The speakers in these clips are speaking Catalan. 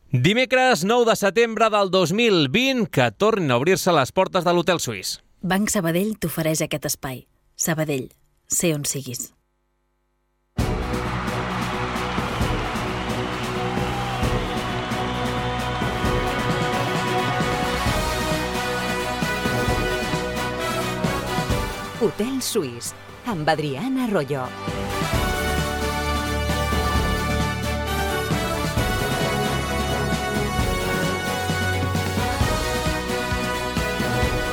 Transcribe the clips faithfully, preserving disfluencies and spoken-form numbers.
Dimecres nou de setembre del dos mil vint, que tornin a obrir-se les portes de l'Hotel Suís. Banc Sabadell t'ofereix aquest espai. Sabadell, sé on siguis. Hotel Suís, amb Adrián Arroyo.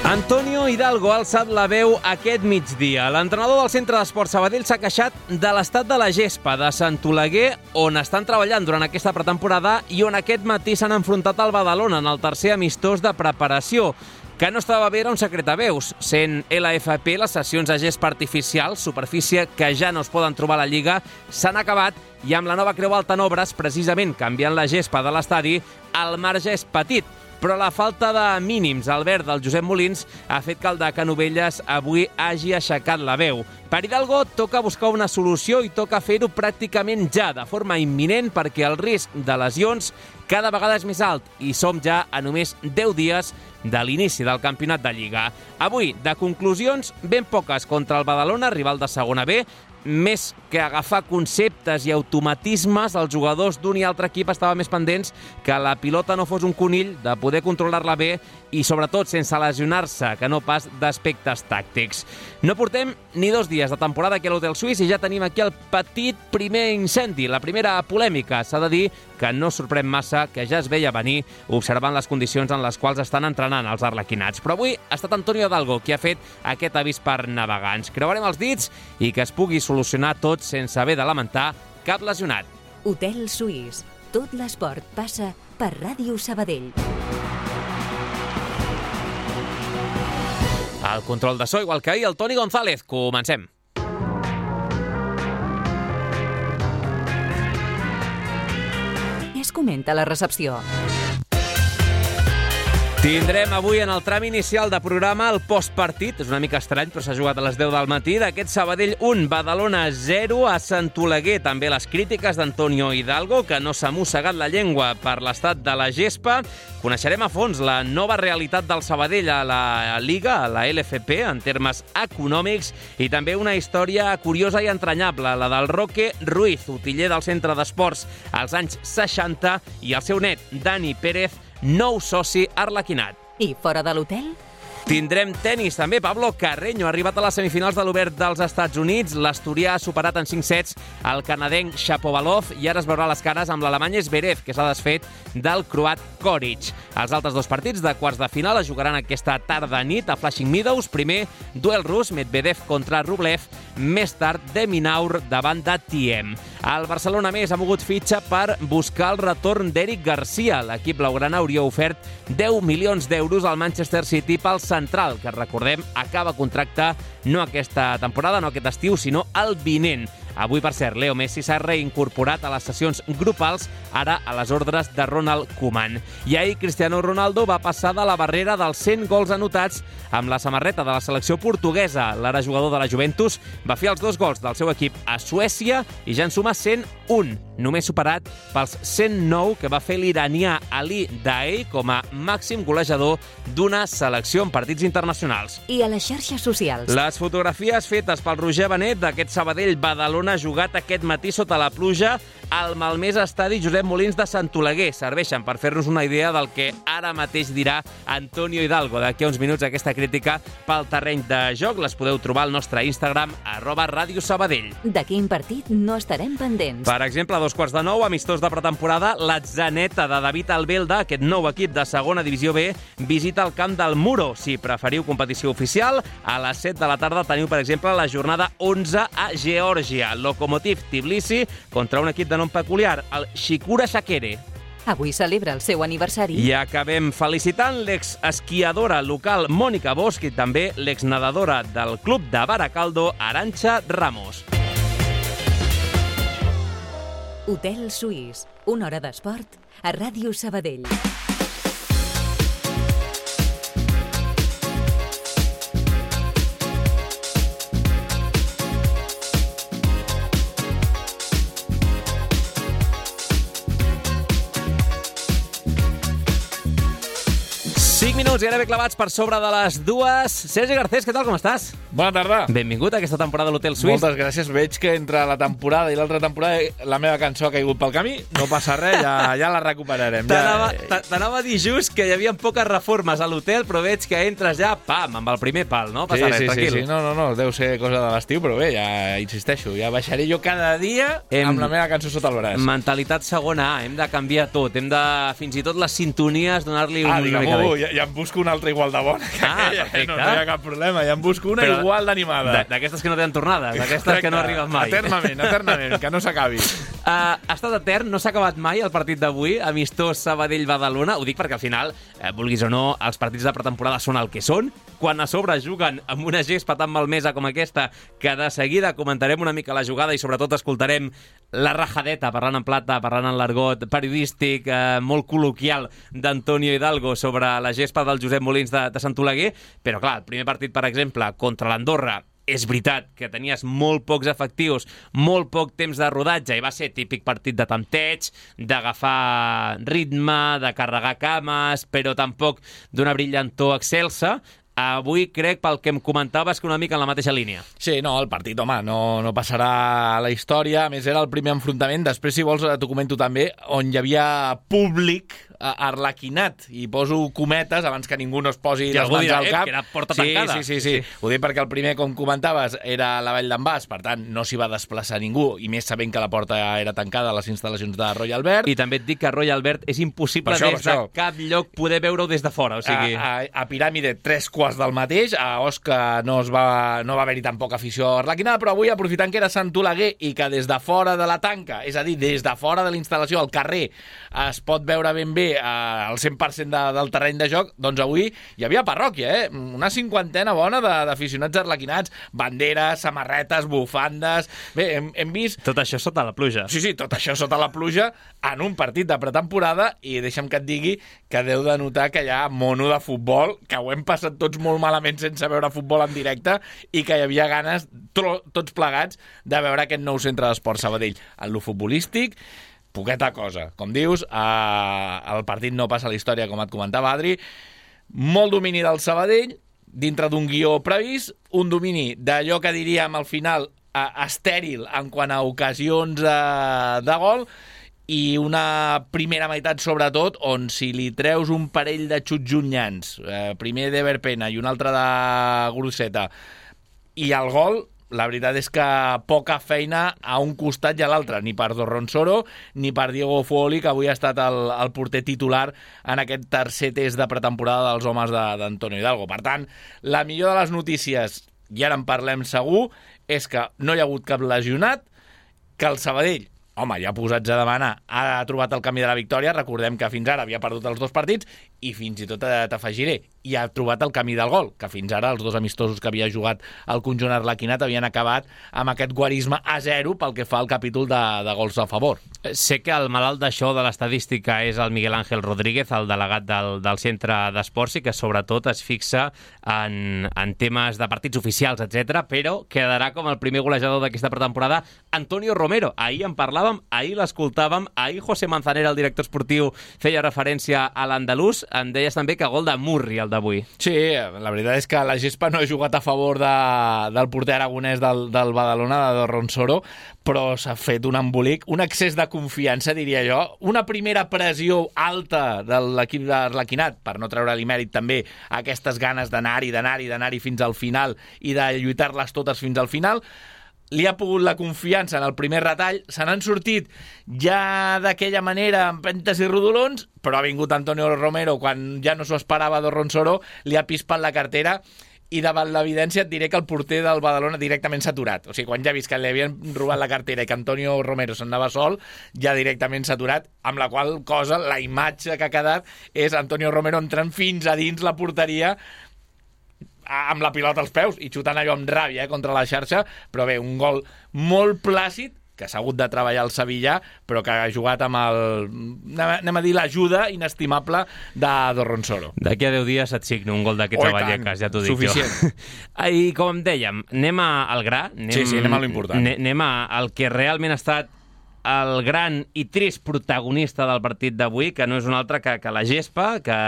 Antonio Hidalgo ha alçat la veu aquest migdia. L'entrenador del Centre d'Esport Sabadell s'ha queixat de l'estat de la gespa de Sant Oleguer, on estan treballant durant aquesta pretemporada i on aquest matí s'han enfrontat al Badalona en el tercer amistós de preparació. Que no estava bé era un secret a veus, sent L F P les sessions de gespa artificial, superfície que ja no es poden trobar a la Lliga, s'han acabat i amb la nova Creu Alta en obres, precisament canviant la gespa de l'estadi, el marge és petit. Però la falta de mínims al verd del Josep Molins ha fet que el de Canovelles avui hagi aixecat la veu. Per Hidalgo toca buscar una solució i toca fer-ho pràcticament ja, de forma imminent, perquè el risc de lesions cada vegada és més alt i som ja a només deu dies de l'inici del campionat de Lliga. Avui, de conclusions, ben poques contra el Badalona, rival de segona B. Més que agafar conceptes i automatismes, els jugadors d'un i altre equip estaven més pendents que la pilota no fos un conill, de poder controlar-la bé i, sobretot, sense lesionar-se, que no pas d'aspectes tàctics. No portem ni dos dies de temporada aquí a l'Hotel Suís i ja tenim aquí el petit primer incendi, la primera polèmica. S'ha de dir que no sorprèn massa, que ja es veia venir observant les condicions en les quals estan entrenant els arlequinats. Però avui ha estat Antonio Hidalgo qui ha fet aquest avís per navegants. Creuarem els dits i que es pugui solucionar tot sense haver de lamentar cap lesionat. Hotel Suís. Tot l'esport passa per Ràdio Sabadell. El control de so, igual que ahir, el Toni González. Comencem. Es comenta la recepció. Tindrem avui en el tram inicial de programa el postpartit, és una mica estrany, però s'ha jugat a les deu del matí, d'aquest Sabadell un, Badalona zero a Sant Oleguer. També les crítiques d'Antonio Hidalgo, que no s'ha mossegat la llengua per l'estat de la gespa. Coneixerem a fons la nova realitat del Sabadell a la Lliga, a la L F P, en termes econòmics, i també una història curiosa i entranyable, la del Roque Ruiz, utiller del Centre d'Esports als anys seixanta, i el seu net, Dani Pérez, nou soci arlequinat. I fora de l'hotel? Tindrem tenis també. Pablo Carreño ha arribat a les semifinals de l'Obert dels Estats Units. L'asturià ha superat en cinc sets el canadenc Shapovalov i ara es veurà les cares amb l'alemany Zverev, que s'ha desfet del croat Koric. Els altres dos partits de quarts de final es jugaran aquesta tarda-nit a Flushing Meadows. Primer, duel rus, Medvedev contra Rublev. Més tard, de Minaur davant de Thiem. El Barcelona, més, ha mogut fitxa per buscar el retorn d'Eric Garcia. L'equip blaugrana hauria ofert deu milions d'euros al Manchester City pel central, que recordem acaba contracte no aquesta temporada, no aquest estiu, sinó el vinent. Avui, per cert, Leo Messi s'ha reincorporat a les sessions grupals, ara a les ordres de Ronald Koeman. I ahir Cristiano Ronaldo va passar de la barrera dels cent gols anotats amb la samarreta de la selecció portuguesa. L'ara jugador de la Juventus va fer els dos gols del seu equip a Suècia i ja en suma cent un, només superat pels cent nou que va fer l'iranià Ali Daei com a màxim golejador d'una selecció en partits internacionals. I a les xarxes socials? Les fotografies fetes pel Roger Benet d'aquest Sabadell Badalona jugat aquest matí sota la pluja al malmès estadi Josep Molins de Sant Oleguer serveixen per fer-nos una idea del que ara mateix dirà Antonio Hidalgo. D'aquí a uns minuts aquesta crítica pel terreny de joc les podeu trobar al nostre Instagram, arroba Ràdio Sabadell. De quin partit no estarem pendents? Per exemple, a dos quarts de nou, amistós de pretemporada, l'Atzaneta de David Albelda, aquest nou equip de segona divisió B, visita el camp del Muro. Si preferiu competició oficial, a les set de la tarda teniu, per exemple, la jornada onze a Geòrgia. Lokomotiv Tbilisi contra un equip de nom peculiar, el Shikura Shakere. Avui celebra el seu aniversari. I acabem felicitant l'exesquiadora local Mònica Bosch i també l'exnedadora del club de Baracaldo, Arantxa Ramos. Hotel Suís, una hora d'esport a Ràdio Sabadell. cinc minuts i gairebé clavats per sobre de les dues. Sergi Garcés, què tal, com estàs? Bona tarda. Benvingut a aquesta temporada de l'Hotel Suís. Moltes gràcies. Veig que entre la temporada i l'altra temporada la meva cançó ha caigut pel camí. No passa res, ja, ja la recuperarem. T'anava ja... t'anava a dir just que hi havia poques reformes a l'hotel, però veig que entres ja, pam, amb el primer pal, no? Passa sí, res, sí, tranquil. Sí, sí, no, no, no, deu ser cosa de l'estiu, però bé, ja insisteixo, ja baixaré jo cada dia hem... amb la meva cançó sota el braç. Mentalitat segona A, hem de canviar tot, hem de, fins i tot les sintonies, donar-li ah, un... digue'm, ja, ja em busco una altra igual de bona. Ah, perfecte. No, no hi ha cap problema, ja em busco una però igual d'animada. D'aquestes que no tenen tornades, d'aquestes que no arriben mai. Eternament, eternament, que no s'acabi. Uh, ha estat etern, no s'ha acabat mai el partit d'avui, amistós Sabadell-Badalona. Ho dic perquè al final, eh, vulguis o no, els partits de pretemporada són el que són. Quan a sobre juguen amb una gespa tan malmesa com aquesta, que de seguida comentarem una mica la jugada i sobretot escoltarem la rajadeta, parlant en plata, parlant en l'argot periodístic, eh, molt col·loquial d'Antonio Hidalgo sobre la gespa del Josep Molins de, de Sant Oleguer. Però clar, el primer partit, per exemple, contra l'Andorra, és veritat que tenies molt pocs efectius, molt poc temps de rodatge i va ser típic partit de tempteig, d'agafar ritme, de carregar cames, però tampoc d'una brillantor excelsa. Avui crec, pel que em comentaves, que una mica en la mateixa línia. Sí, no, el partit, home, no, no passarà a la història. A més, era el primer enfrontament. Després, si vols, t'ho comento també, on hi havia públic arlequinat. I poso cometes abans que ningú no es posi I les mans dirà, al cap. Eh, que era porta sí, tancada. Sí, sí, sí, sí. Ho dic perquè el primer, com comentaves, era la Vall d'en Bas, per tant, no s'hi va desplaçar ningú, i més sabent que la porta era tancada a les instal·lacions de Royal Albert. I també et dic que Royal Albert és impossible això, des de cap lloc poder veure-ho des de fora. O sigui... a, a, a Piràmide, tres quarts del mateix. A Osca no, es va, no va haver-hi tampoc afició arlequinada, però avui, aprofitant que era Sant Oleguer i que des de fora de la tanca, és a dir, des de fora de la instal·lació, al carrer, es pot veure ben bé eh, el cent per cent de, del terreny de joc, doncs avui hi havia parròquia, eh? Una cinquantena bona d'aficionats arlequinats, banderes, samarretes, bufandes... Bé, hem, hem vist... Tot això sota la pluja. Sí, sí, tot això sota la pluja en un partit de pretemporada, i deixa'm que et digui que deu de notar que hi ha mono de futbol, que ho hem passat tots molt malament sense veure futbol en directe i que hi havia ganes, to, tots plegats, de veure aquest nou centre d'esport Sabadell. En lo futbolístic, poqueta cosa. Com dius, eh, el partit no passa a la història, com et comentava Adri. Molt domini del Sabadell, dintre d'un guió previst, un domini d'allò que diríem al final eh, estèril en quant a ocasions eh, de gol, i una primera meitat, sobretot, on si li treus un parell de xuts llunyans, eh, primer d'Ever Pena i un altre de Groseta, i el gol, la veritat és que poca feina a un costat i a l'altre, ni per Dorronsoro ni per Diego Fuoli, que avui ha estat el, el porter titular en aquest tercer test de pretemporada dels homes d'Antonio Hidalgo. Per tant, la millor de les notícies, i ara en parlem segur, és que no hi ha hagut cap lesionat, que el Sabadell, home, ja posats a demanar, ha trobat el camí de la victòria. Recordem que fins ara havia perdut els dos partits i fins i tot t'afegiré, i ha trobat el camí del gol, que fins ara els dos amistosos que havia jugat el conjunt arlequinat havien acabat amb aquest guarisme a zero pel que fa al capítol de, de gols a favor. Sé que el malalt d'això de l'estadística és el Miguel Ángel Rodríguez, el delegat del, del centre d'esports, i que sobretot es fixa en, en temes de partits oficials, etcètera, però quedarà com el primer golejador d'aquesta pretemporada Antonio Romero. Ahir en parlàvem, ahir l'escoltàvem, ahir José Manzanera, el director esportiu, feia referència a l'andalús. Em deies també que gol de Murri, el d'avui. Sí, la veritat és que la gespa no ha jugat a favor de, del porter aragonès del, del Badalona, de Dorronsoro, però s'ha fet un embolic, un excés de confiança, diria jo, una primera pressió alta de l'equip d'Arlequinat, per no treure-li mèrit també aquestes ganes d'anar-hi, d'anar-hi, d'anar-hi fins al final i de lluitar-les totes fins al final. Li ha pogut la confiança en el primer retall, se n'han sortit ja d'aquella manera, amb pentes i rodolons, però ha vingut Antonio Romero quan ja no s'ho esperava Dorronsoro, li ha pispat la cartera, i davant l'evidència et diré que el porter del Badalona directament s'ha aturat. O sigui, quan ja ha vist que li havien robat la cartera i que Antonio Romero se'n anava sol, ja directament s'ha aturat, amb la qual cosa la imatge que ha quedat és Antonio Romero entrant fins a dins la porteria amb la pilota als peus i xutant allò amb ràbia eh, contra la xarxa, però bé, un gol molt plàcid, que s'ha hagut de treballar el Sevillà, però que ha jugat amb el, anem a dir, l'ajuda inestimable de Dorronsoro. D'aquí a deu dies et signo un gol d'aquests a Vallecas, ja t'ho dic suficient. Jo. I com dèiem, anem al gra, anem, sí, sí, anem a l'important. Anem al que realment ha estat el gran i trist protagonista del partit d'avui, que no és un altre que, que la gespa, que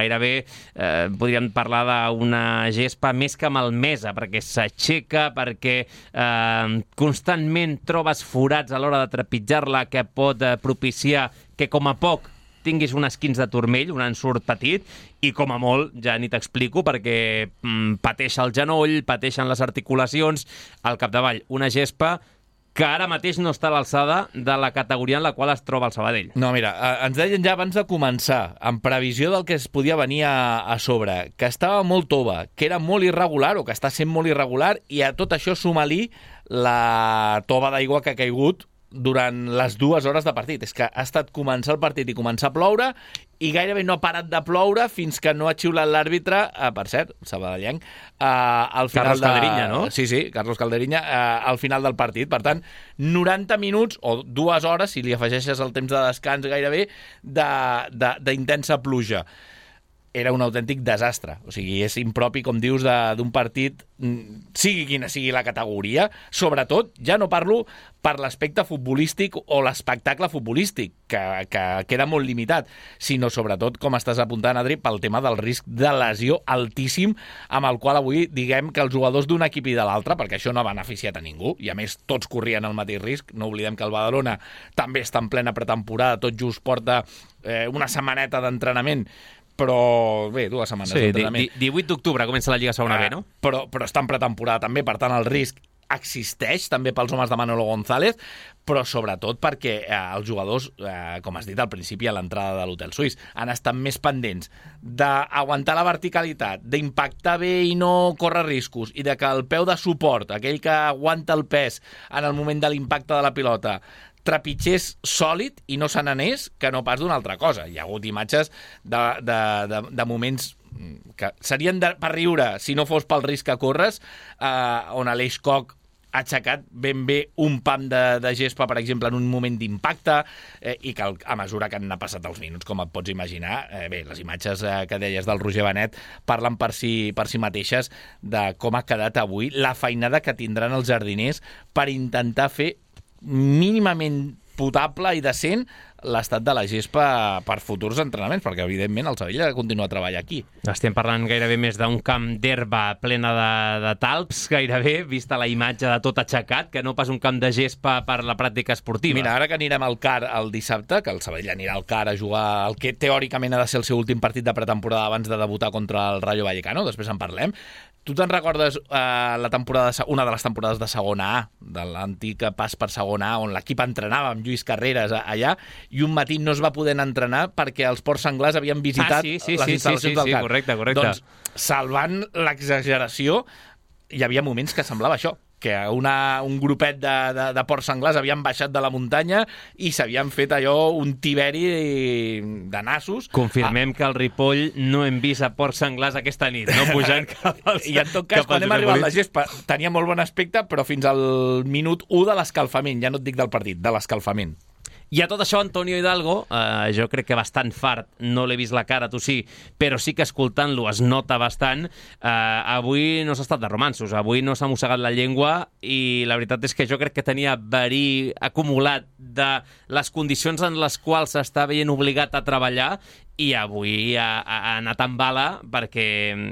gairebé eh, podríem parlar d'una gespa més que malmesa, perquè s'aixeca, perquè eh, constantment trobes forats a l'hora de trepitjar-la que pot eh, propiciar que com a poc tinguis un esquins de turmell, un ensurt petit, i com a molt, ja ni t'explico, perquè mm, pateix el genoll, pateixen les articulacions, al capdavall una gespa que ara mateix no està a l'alçada de la categoria en la qual es troba el Sabadell. No, mira, ens deien ja abans de començar, en previsió del que es podia venir a, a sobre, que estava molt tova, que era molt irregular, o que està sent molt irregular, i a tot això suma-li la tova d'aigua que ha caigut durant les dues hores de partit. És que ha estat començar el partit i començar a ploure, i gairebé no ha parat de ploure fins que no ha xiulat l'àrbitre, eh, per cert, sabadellenc, eh, al final Carlos de... Calderinya, no? Sí, sí, Carlos Calderinya, eh, al final del partit. Per tant, noranta minuts, o dues hores, si li afegeixes el temps de descans gairebé, d'intensa pluja. Era un autèntic desastre. O sigui, és impropi, com dius, d'un partit, sigui quina sigui la categoria. Sobretot, ja no parlo per l'aspecte futbolístic o l'espectacle futbolístic, que, que queda molt limitat, sinó sobretot, com estàs apuntant, Adri, pel tema del risc de lesió altíssim amb el qual avui diguem que els jugadors d'un equip i de l'altre, perquè això no ha beneficiat a ningú, i a més tots corrien el mateix risc. No oblidem que el Badalona també està en plena pretemporada, tot just porta eh, una setmaneta d'entrenament, però bé, dues setmanes sí, d'entrenament. divuit d'octubre comença la Lliga Segona B, no? Però, però està en pretemporada també, per tant el risc existeix també pels homes de Manolo González, però sobretot perquè eh, els jugadors, eh, com has dit al principi a l'entrada de l'Hotel Suís, han estat més pendents d'aguantar la verticalitat, d'impactar bé i no córrer riscos, i de que el peu de suport, aquell que aguanta el pes en el moment de l'impacte de la pilota, trepitgés sòlid i no se n'anés, que no pas d'una altra cosa. Hi ha hagut imatges de, de, de, de moments que serien de, per riure si no fos pel risc que corres, eh, on Aleix Koch ha aixecat ben bé un pam de, de gespa, per exemple, en un moment d'impacte, eh, i que a mesura que han passat els minuts, com et pots imaginar, eh, bé, les imatges eh, que deies del Roger Benet parlen per si, per si mateixes de com ha quedat avui, la feinada que tindran els jardiners per intentar fer mínimament potable i decent l'estat de la gespa per futurs entrenaments, perquè evidentment el Sabadell ha de continuar a treballar aquí. Estem parlant gairebé més d'un camp d'herba plena de, de talps, gairebé, vista la imatge de tot aixecat, que no pas un camp de gespa per la pràctica esportiva. Mira, ara que anirem al C A R el dissabte, que el Sabadell anirà al C A R a jugar el que teòricament ha de ser el seu últim partit de pretemporada abans de debutar contra el Rayo Vallecano, després en parlem. Tu te'n recordes eh, la temporada, una de les temporades de segona A, de l'antic pas per segona A, on l'equip entrenava amb Lluís Carreras allà, i un matí no es va poder entrenar perquè els ports senglars havien visitat ah, sí, sí, les sí, instal·lacions sí, sí, del C A R. Sí, correcte, correcte. Doncs, salvant l'exageració, hi havia moments que semblava això, que una, un grupet de, de, de porcs senglars havien baixat de la muntanya i s'havien fet allò un tiberi de nassos. Confirmem ah. que al Ripoll no hem vist a porcs senglars aquesta nit, no pujant cap als... I en tot cas, quan hem arribat a la gespa, tenia molt bon aspecte, però fins al minut u de l'escalfament, ja no et dic del partit, de l'escalfament. I a tot això, Antonio Hidalgo, eh, jo crec que bastant fart, no l'he vist la cara, tu sí, però sí que escoltant-lo es nota bastant. Eh, avui no s'ha estat de romanços, avui no s'ha mossegat la llengua, i la veritat és que jo crec que tenia verí acumulat de les condicions en les quals s'està veient obligat a treballar, i avui ha, ha anat amb bala perquè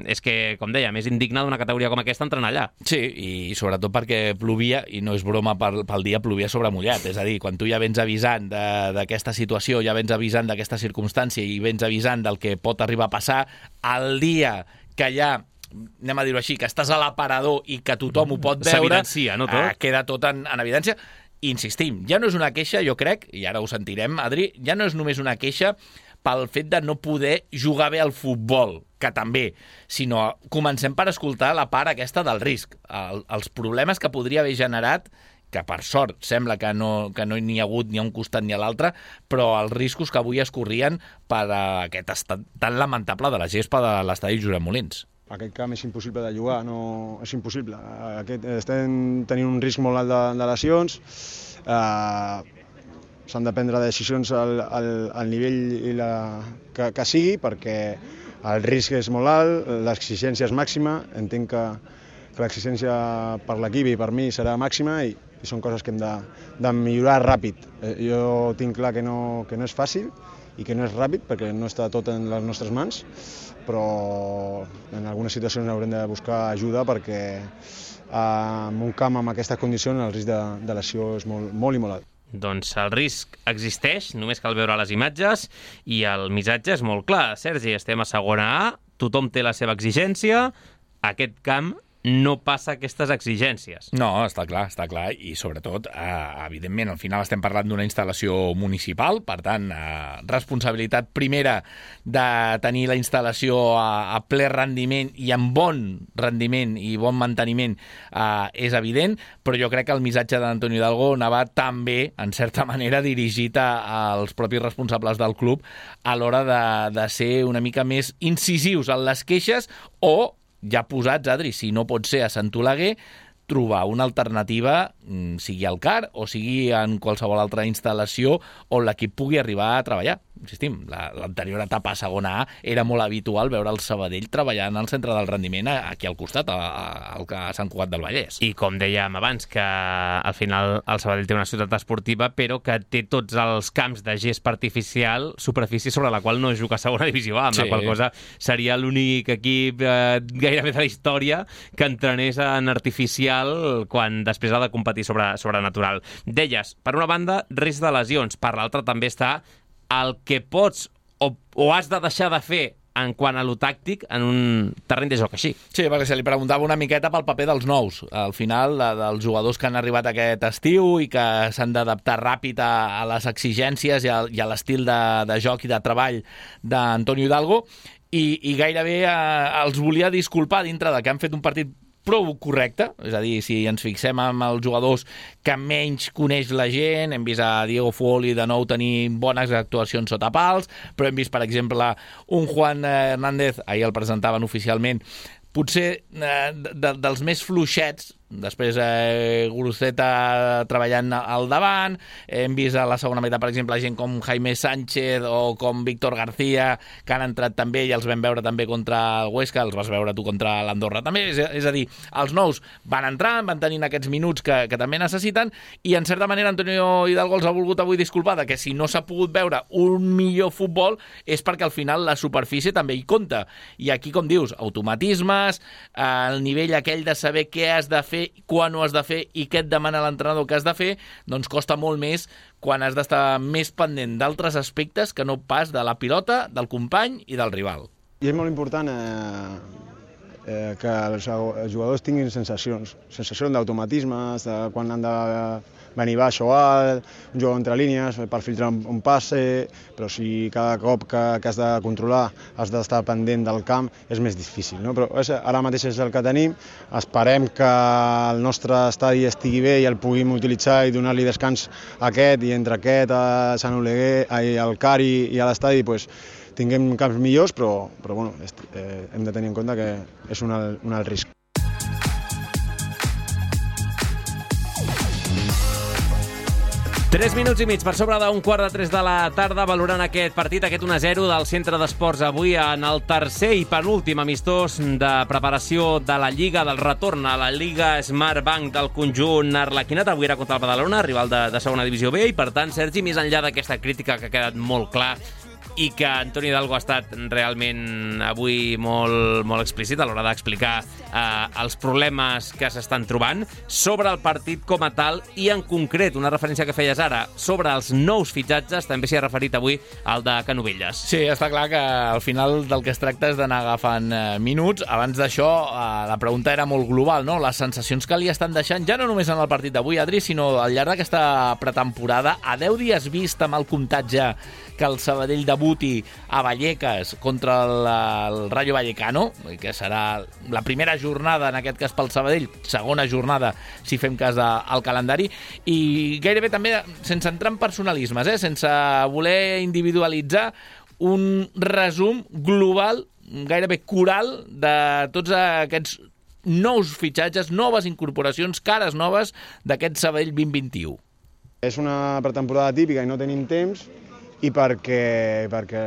és que, com deia, més indigne d'una categoria com aquesta entrenar allà. Sí, i sobretot perquè plovia, i no és broma pel, pel dia, plovia sobre mullat. És a dir, quan tu ja vens avisant d'aquesta situació, ja vens avisant d'aquesta circumstància i vens avisant del que pot arribar a passar, el dia que ja anem a dir-ho així, que estàs a l'aparador i que tothom ho pot veure, s'evidencia, no, tot? Eh, queda tot en, en evidència. Insistim, ja no és una queixa, jo crec, i ara ho sentirem, Adri, ja no és només una queixa pel fet de no poder jugar bé al futbol, que també, sinó comencem per escoltar la part aquesta del risc, el, els problemes que podria haver generat, que per sort sembla que no que no n'hi ha hagut ni a un costat ni a l'altre, però els riscos que avui es corrien per aquest estat tan lamentable de la gespa de l'estadi Josep Molins. Aquest camp és impossible de jugar, no, és impossible. Aquest, estem tenint un risc molt alt de, de lesions, eh, s'han de prendre decisions al, al, al nivell i la, que, que sigui, perquè el risc és molt alt, l'exigència és màxima, entenc que, que l'exigència per l'equip i per mi serà màxima, i i són coses que hem de, de millorar ràpid. Eh, jo tinc clar que no, que no és fàcil i que no és ràpid perquè no està tot en les nostres mans, però en algunes situacions haurem de buscar ajuda perquè eh, en un camp amb aquestes condicions el risc de, de lesió és molt, molt i molt alt. Doncs el risc existeix, només cal veure les imatges i el missatge és molt clar. Sergi, estem a segona A, tothom té la seva exigència, aquest camp no passa aquestes exigències. No, està clar, està clar, i sobretot, eh, evidentment, al final estem parlant d'una instal·lació municipal, per tant, eh, responsabilitat primera de tenir la instal·lació a, a ple rendiment i amb bon rendiment i bon manteniment eh, és evident, però jo crec que el missatge d'Antonio Hidalgo anava també, en certa manera, dirigit a, als propis responsables del club a l'hora de, de ser una mica més incisius en les queixes o ja posats, Adri, si no pot ser a Sant Oleguer, trobar una alternativa, sigui al C A R o sigui en qualsevol altra instal·lació on l'equip pugui arribar a treballar. Insistim, l'anterior etapa a segona A era molt habitual veure el Sabadell treballant al centre del rendiment aquí al costat, al Sant Cugat del Vallès. I com dèiem abans, que al final el Sabadell té una ciutat esportiva, però que té tots els camps de gest artificial, superfície sobre la qual no es juga a segona divisió A, amb sí. La qual cosa seria l'únic equip eh, gairebé de la història que entrenés en artificial quan després ha de competir sobre, sobre natural. Deies, per una banda, risc de lesions, per l'altra també està el que pots o, o has de deixar de fer en quant a lo tàctic en un terreny de joc així. Sí, perquè se li preguntava una miqueta pel paper dels nous. Al final, de, dels jugadors que han arribat aquest estiu i que s'han d'adaptar ràpid a, a les exigències i a, i a l'estil de, de joc i de treball d'Antonio Hidalgo, i, i gairebé eh, els volia disculpar dintre de que han fet un partit prou correcte, és a dir, si ens fixem en els jugadors que menys coneix la gent, hem vist a Diego Fuoli de nou tenir bones actuacions sota pals, però hem vist, per exemple, un Juan Hernández, ahir el presentaven oficialment, potser eh, de, dels més fluixets, després eh, Guruceta treballant al davant, hem vist a la segona meitat, per exemple, gent com Jaime Sánchez o com Víctor García, que han entrat també i els vam veure també contra el Huesca, els vas veure tu contra l'Andorra també, és, és a dir, els nous van entrant, van tenint aquests minuts que, que també necessiten, i en certa manera Antonio Hidalgo els ha volgut avui disculpar de que si no s'ha pogut veure un millor futbol és perquè al final la superfície també hi compta, i aquí, com dius, automatismes, eh, el nivell aquell de saber què has de fer, quan ho has de fer i què et demana l'entrenador que has de fer, doncs costa molt més quan has d'estar més pendent d'altres aspectes que no pas de la pilota, del company i del rival. I és molt important eh, eh, que els jugadors tinguin sensacions, sensacions d'automatismes, de quan han de venir baix o alt, un jugador entre línies per filtrar un, un passe, però si cada cop que, que has de controlar has d'estar pendent del camp és més difícil, no? Però és, ara mateix és el que tenim, esperem que el nostre estadi estigui bé i el puguem utilitzar i donar-li descans a aquest, i entre aquest, a Sant Oleguer, al C A R i, i a l'estadi, pues, tinguem camps millors, però, però bueno, eh, hem de tenir en compte que és un alt, un alt risc. Tres minuts i mig per sobre d'un quart de tres de la tarda, valorant aquest partit, aquest un a zero del Centre d'Esports avui en el tercer i penúltim amistós de preparació de la Lliga, del retorn a la Lliga Smart Bank del conjunt arlequinat. Avui era contra el Badalona, rival de, de segona divisió B, i per tant, Sergi, més enllà d'aquesta crítica que ha quedat molt clar i que Antonio Hidalgo ha estat realment avui molt, molt explícit a l'hora d'explicar eh, els problemes que s'estan trobant sobre el partit com a tal, i en concret, una referència que feies ara, sobre els nous fitxatges, també s'hi ha referit avui al de Canovelles. Sí, està clar que al final del que es tracta és d'anar agafant eh, minuts. Abans d'això, eh, la pregunta era molt global, no? Les sensacions que li estan deixant, ja no només en el partit d'avui, Adri, sinó al llarg d'aquesta pretemporada, a deu dies vist amb el comptatge que el Sabadell debuti a Vallecas contra el, el Rayo Vallecano, que serà la primera jornada, en aquest cas pel Sabadell, segona jornada, si fem cas al calendari, i gairebé també, sense entrar en personalismes, eh, sense voler individualitzar, un resum global, gairebé coral, de tots aquests nous fitxatges, noves incorporacions, cares noves d'aquest Sabadell vint vint-i-u. És una pretemporada típica i no tenim temps, i perquè, perquè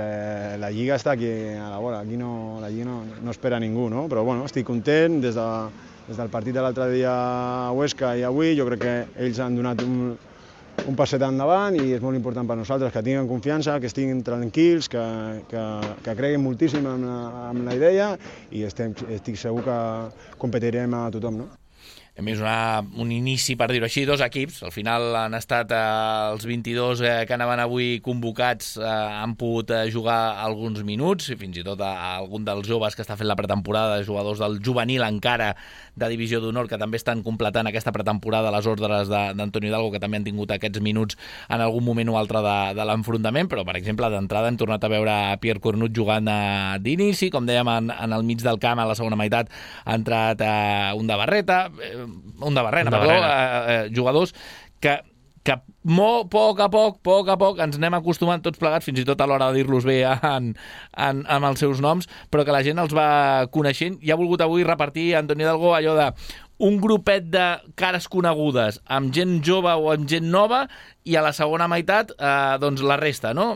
la Lliga està aquí a la vora, aquí no, la Lliga no, no espera ningú, no? Però bueno, estic content, des de, des del partit de l'altre dia a Huesca i avui, jo crec que ells han donat un, un passet endavant i és molt important per nosaltres que tinguin confiança, que estiguin tranquils, que, que, que creguin moltíssim en la, en la idea i estem, estic segur que competirem a tothom, no? A més, una, un inici, per dir-ho així, dos equips. Al final han estat eh, els vint-i-dos eh, que anaven avui convocats, eh, han pogut eh, jugar alguns minuts, i fins i tot a, a algun dels joves que està fent la pretemporada, jugadors del juvenil encara de Divisió d'Honor, que també estan completant aquesta pretemporada a les ordres d'Antonio Hidalgo, que també han tingut aquests minuts en algun moment o altre de, de l'enfrontament, però, per exemple, d'entrada hem tornat a veure a Pierre Cornut jugant eh, d'inici, com dèiem, en, en el mig del camp, a la segona meitat ha entrat eh, un de Barreta, eh, un de Barrena, perdó, eh, eh, jugadors que, que molt, poc a poc, poc a poc ens anem acostumant tots plegats, fins i tot a l'hora de dir-los bé en, en, en els seus noms, però que la gent els va coneixent i ha volgut avui repartir Antonio Hidalgo allò de un grupet de cares conegudes amb gent jove o amb gent nova i a la segona meitat eh, doncs la resta, no?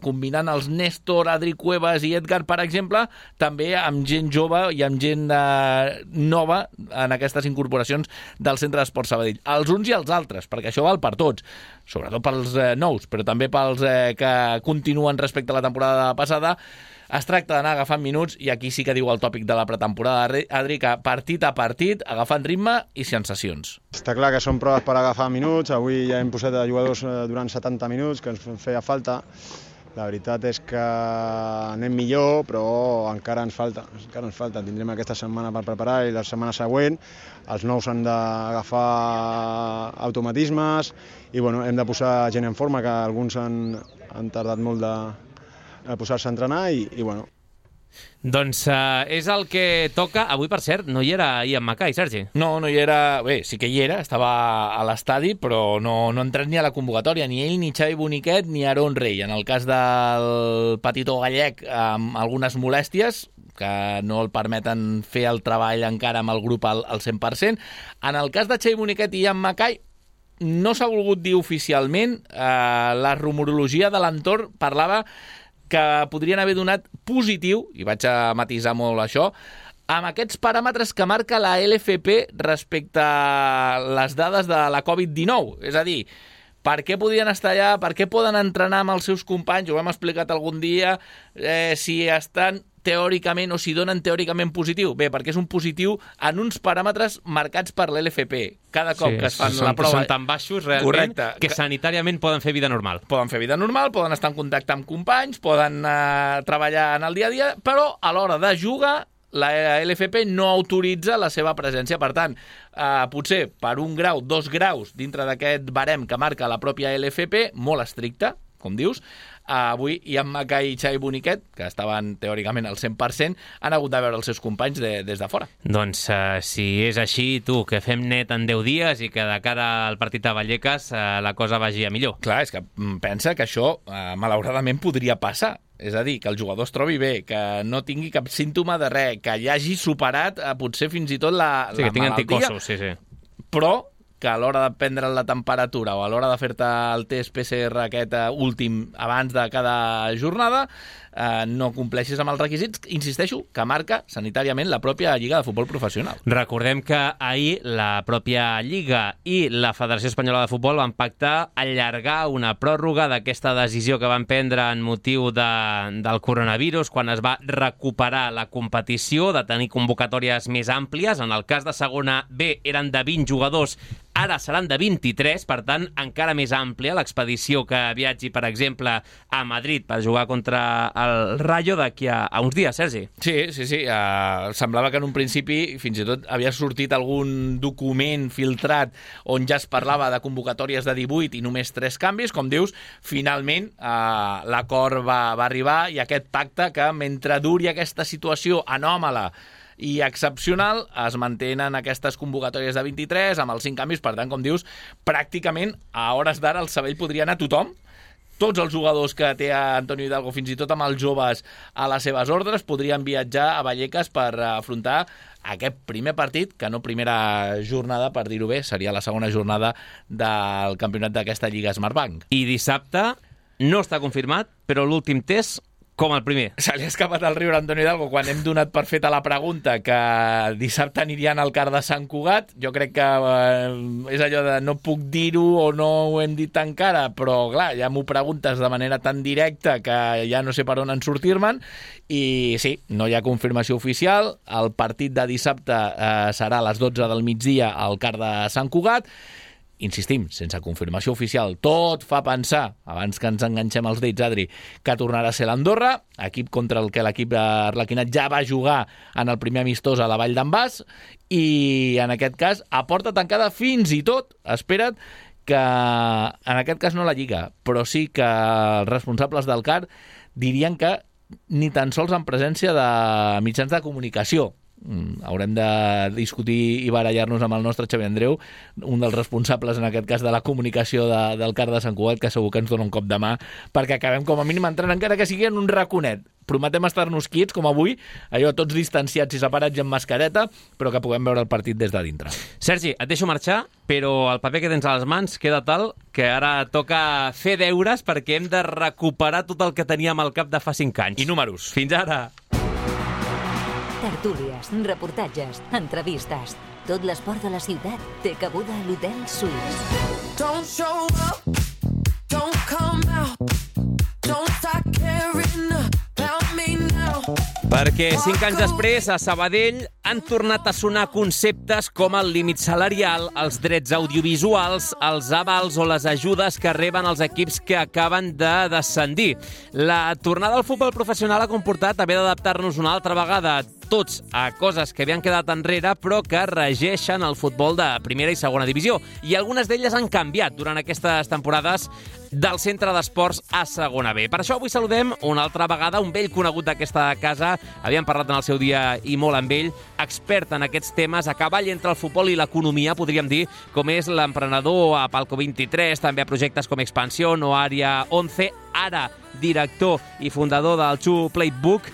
Combinant els Néstor, Adri Cuevas i Edgar, per exemple, també amb gent jove i amb gent eh, nova en aquestes incorporacions del Centre d'Esport Sabadell. Els uns i els altres, perquè això val per tots, sobretot pels eh, nous, però també pels eh, que continuen respecte a la temporada passada. Es tracta d'anar agafant minuts i aquí sí que diu el tòpic de la pretemporada, Adri, que partit a partit, agafant ritme i sensacions. Està clar que són proves per agafar minuts, avui ja hem posat a jugadors durant setanta minuts, que ens feia falta. La veritat és que anem millor, però encara ens falta, encara ens falta. Tindrem aquesta setmana per preparar i la setmana següent els nous han d'agafar automatismes i bueno, hem de posar gent en forma, que alguns han, han tardat molt de a posar-se a entrenar i, i bueno. Doncs uh, és el que toca. Avui, per cert, no hi era Ian Mackay, Sergi? No, no hi era. Bé, sí que hi era, estava a l'estadi, però no, no ha entrat ni a la convocatòria, ni ell, ni Xavi Boniquet, ni Aaron Rey. En el cas del petitó gallec, amb algunes molèsties, que no el permeten fer el treball encara amb el grup al, al cent per cent. En el cas de Xavi Boniquet i Ian Mackay, no s'ha volgut dir oficialment. Eh, la rumorologia de l'entorn parlava que podrien haver donat positiu, i vaig a matisar molt això, amb aquests paràmetres que marca la L F P respecte a les dades de la covid dinou. És a dir, per què podien estar allà, per què poden entrenar amb els seus companys, ho hem explicat algun dia, eh, si estan teòricament o si donen teòricament positiu. Bé, perquè és un positiu en uns paràmetres marcats per l'L F P. Cada cop sí, que es fan són, la prova... Són tan baixos, realment, correcte, que, que sanitàriament poden fer vida normal. Poden fer vida normal, poden estar en contacte amb companys, poden eh, treballar en el dia a dia, però a l'hora de jugar la L F P no autoritza la seva presència. Per tant, eh, potser per un grau, dos graus, dintre d'aquest barem que marca la pròpia L F P, molt estricte, com dius, Uh, avui Ian Mackay i Xavi Boniquet, que estaven teòricament al cent per cent, han hagut de veure els seus companys de, des de fora. Doncs uh, si és així, tu, que fem net en deu dies i que de cara al partit a Vallecas uh, la cosa vagi a millor. Clar, és que pensa que això uh, malauradament podria passar. És a dir, que el jugador es trobi bé, que no tingui cap símptoma de res, que ja hagi superat uh, potser fins i tot la, sí, la que tingui malaltia. Anticossos, sí, sí. Però que a l'hora de prendre la temperatura o a l'hora de fer-te el test P C R aquest últim abans de cada jornada eh, no compleixis amb els requisits, insisteixo, que marca sanitàriament la pròpia Lliga de Futbol Professional. Recordem que ahir la pròpia Lliga i la Federació Espanyola de Futbol van pactar allargar una pròrroga d'aquesta decisió que van prendre en motiu de, del coronavirus quan es va recuperar la competició, de tenir convocatòries més àmplies. En el cas de segona B eren de vint jugadors, ara seran de vint-i-tres, per tant, encara més àmplia l'expedició que viatgi, per exemple, a Madrid per jugar contra el Rayo d'aquí a, a uns dies, Sergi. Sí, sí, sí. Uh, semblava que en un principi fins i tot havia sortit algun document filtrat on ja es parlava de convocatòries de divuit i només tres canvis. Com dius, finalment uh, l'acord va, va arribar i aquest pacte que, mentre duri aquesta situació anòmala i excepcional, es mantenen aquestes convocatòries de vint-i-tres amb els cinc canvis. Per tant, com dius, pràcticament a hores d'ara el Sabadell podria anar a tothom. Tots els jugadors que té Antonio Hidalgo, fins i tot amb els joves a les seves ordres, podrien viatjar a Vallecas per afrontar aquest primer partit, que no primera jornada, per dir-ho bé, seria la segona jornada del campionat d'aquesta Lliga Smartbank. I dissabte no està confirmat, però l'últim test Com el primer. Se li ha escapat al riure Antonio Hidalgo quan hem donat per feta la pregunta que dissabte anirien al Car de Sant Cugat. Jo crec que eh, és allò de no puc dir-ho o no ho hem dit encara, però clar, ja m'ho preguntes de manera tan directa que ja no sé per on en sortir-me'n. I sí, no hi ha confirmació oficial. El partit de dissabte eh, serà a les dotze del migdia al Car de Sant Cugat. Insistim, sense confirmació oficial, tot fa pensar, abans que ens enganxem els dits, Adri, que tornarà a ser l'Andorra, equip contra el que l'equip arlequinat ja va jugar en el primer amistós a la Vall d'en Bas, i en aquest cas, a porta tancada fins i tot, espera't, que en aquest cas no la Lliga, però sí que els responsables del Car dirien que ni tan sols en presència de mitjans de comunicació. Mm, haurem de discutir i barallar-nos amb el nostre Xavi Andreu, un dels responsables en aquest cas de la comunicació de, del Car de Sant Cugat, que segur que ens dona un cop de mà perquè acabem com a mínim entrant, encara que sigui en un raconet. Prometem estar-nos quiets, com avui, allò tots distanciats i separats i amb mascareta, però que puguem veure el partit des de dintre. Sergi, et deixo marxar, però el paper que tens a les mans queda tal que ara toca fer deures perquè hem de recuperar tot el que teníem al cap de fa cinc anys. I números. Fins ara! Tertúlies, reportatges, entrevistes. Tot l'esport de la ciutat té cabuda a l'Hotel Suís. Don't show up, don't come out, don't start caring about me now. Perquè cinc anys després, a Sabadell, han tornat a sonar conceptes com el límit salarial, els drets audiovisuals, els avals o les ajudes que reben els equips que acaben de descendir. La tornada al futbol professional ha comportat haver d'adaptar-nos una altra vegada tots a coses que havien quedat enrere però que regeixen el futbol de primera i segona divisió. I algunes d'elles han canviat durant aquestes temporades del centre d'esports a segona B. Per això avui saludem una altra vegada un vell conegut d'aquesta casa. Havíem parlat en el seu dia i molt amb ell, expert en aquests temes, a cavall entre el futbol i l'economia, podríem dir, com és l'emprenedor a Palco vint-i-tres, també a projectes com Expansión o Àrea onze, ara director i fundador del Two Playbook.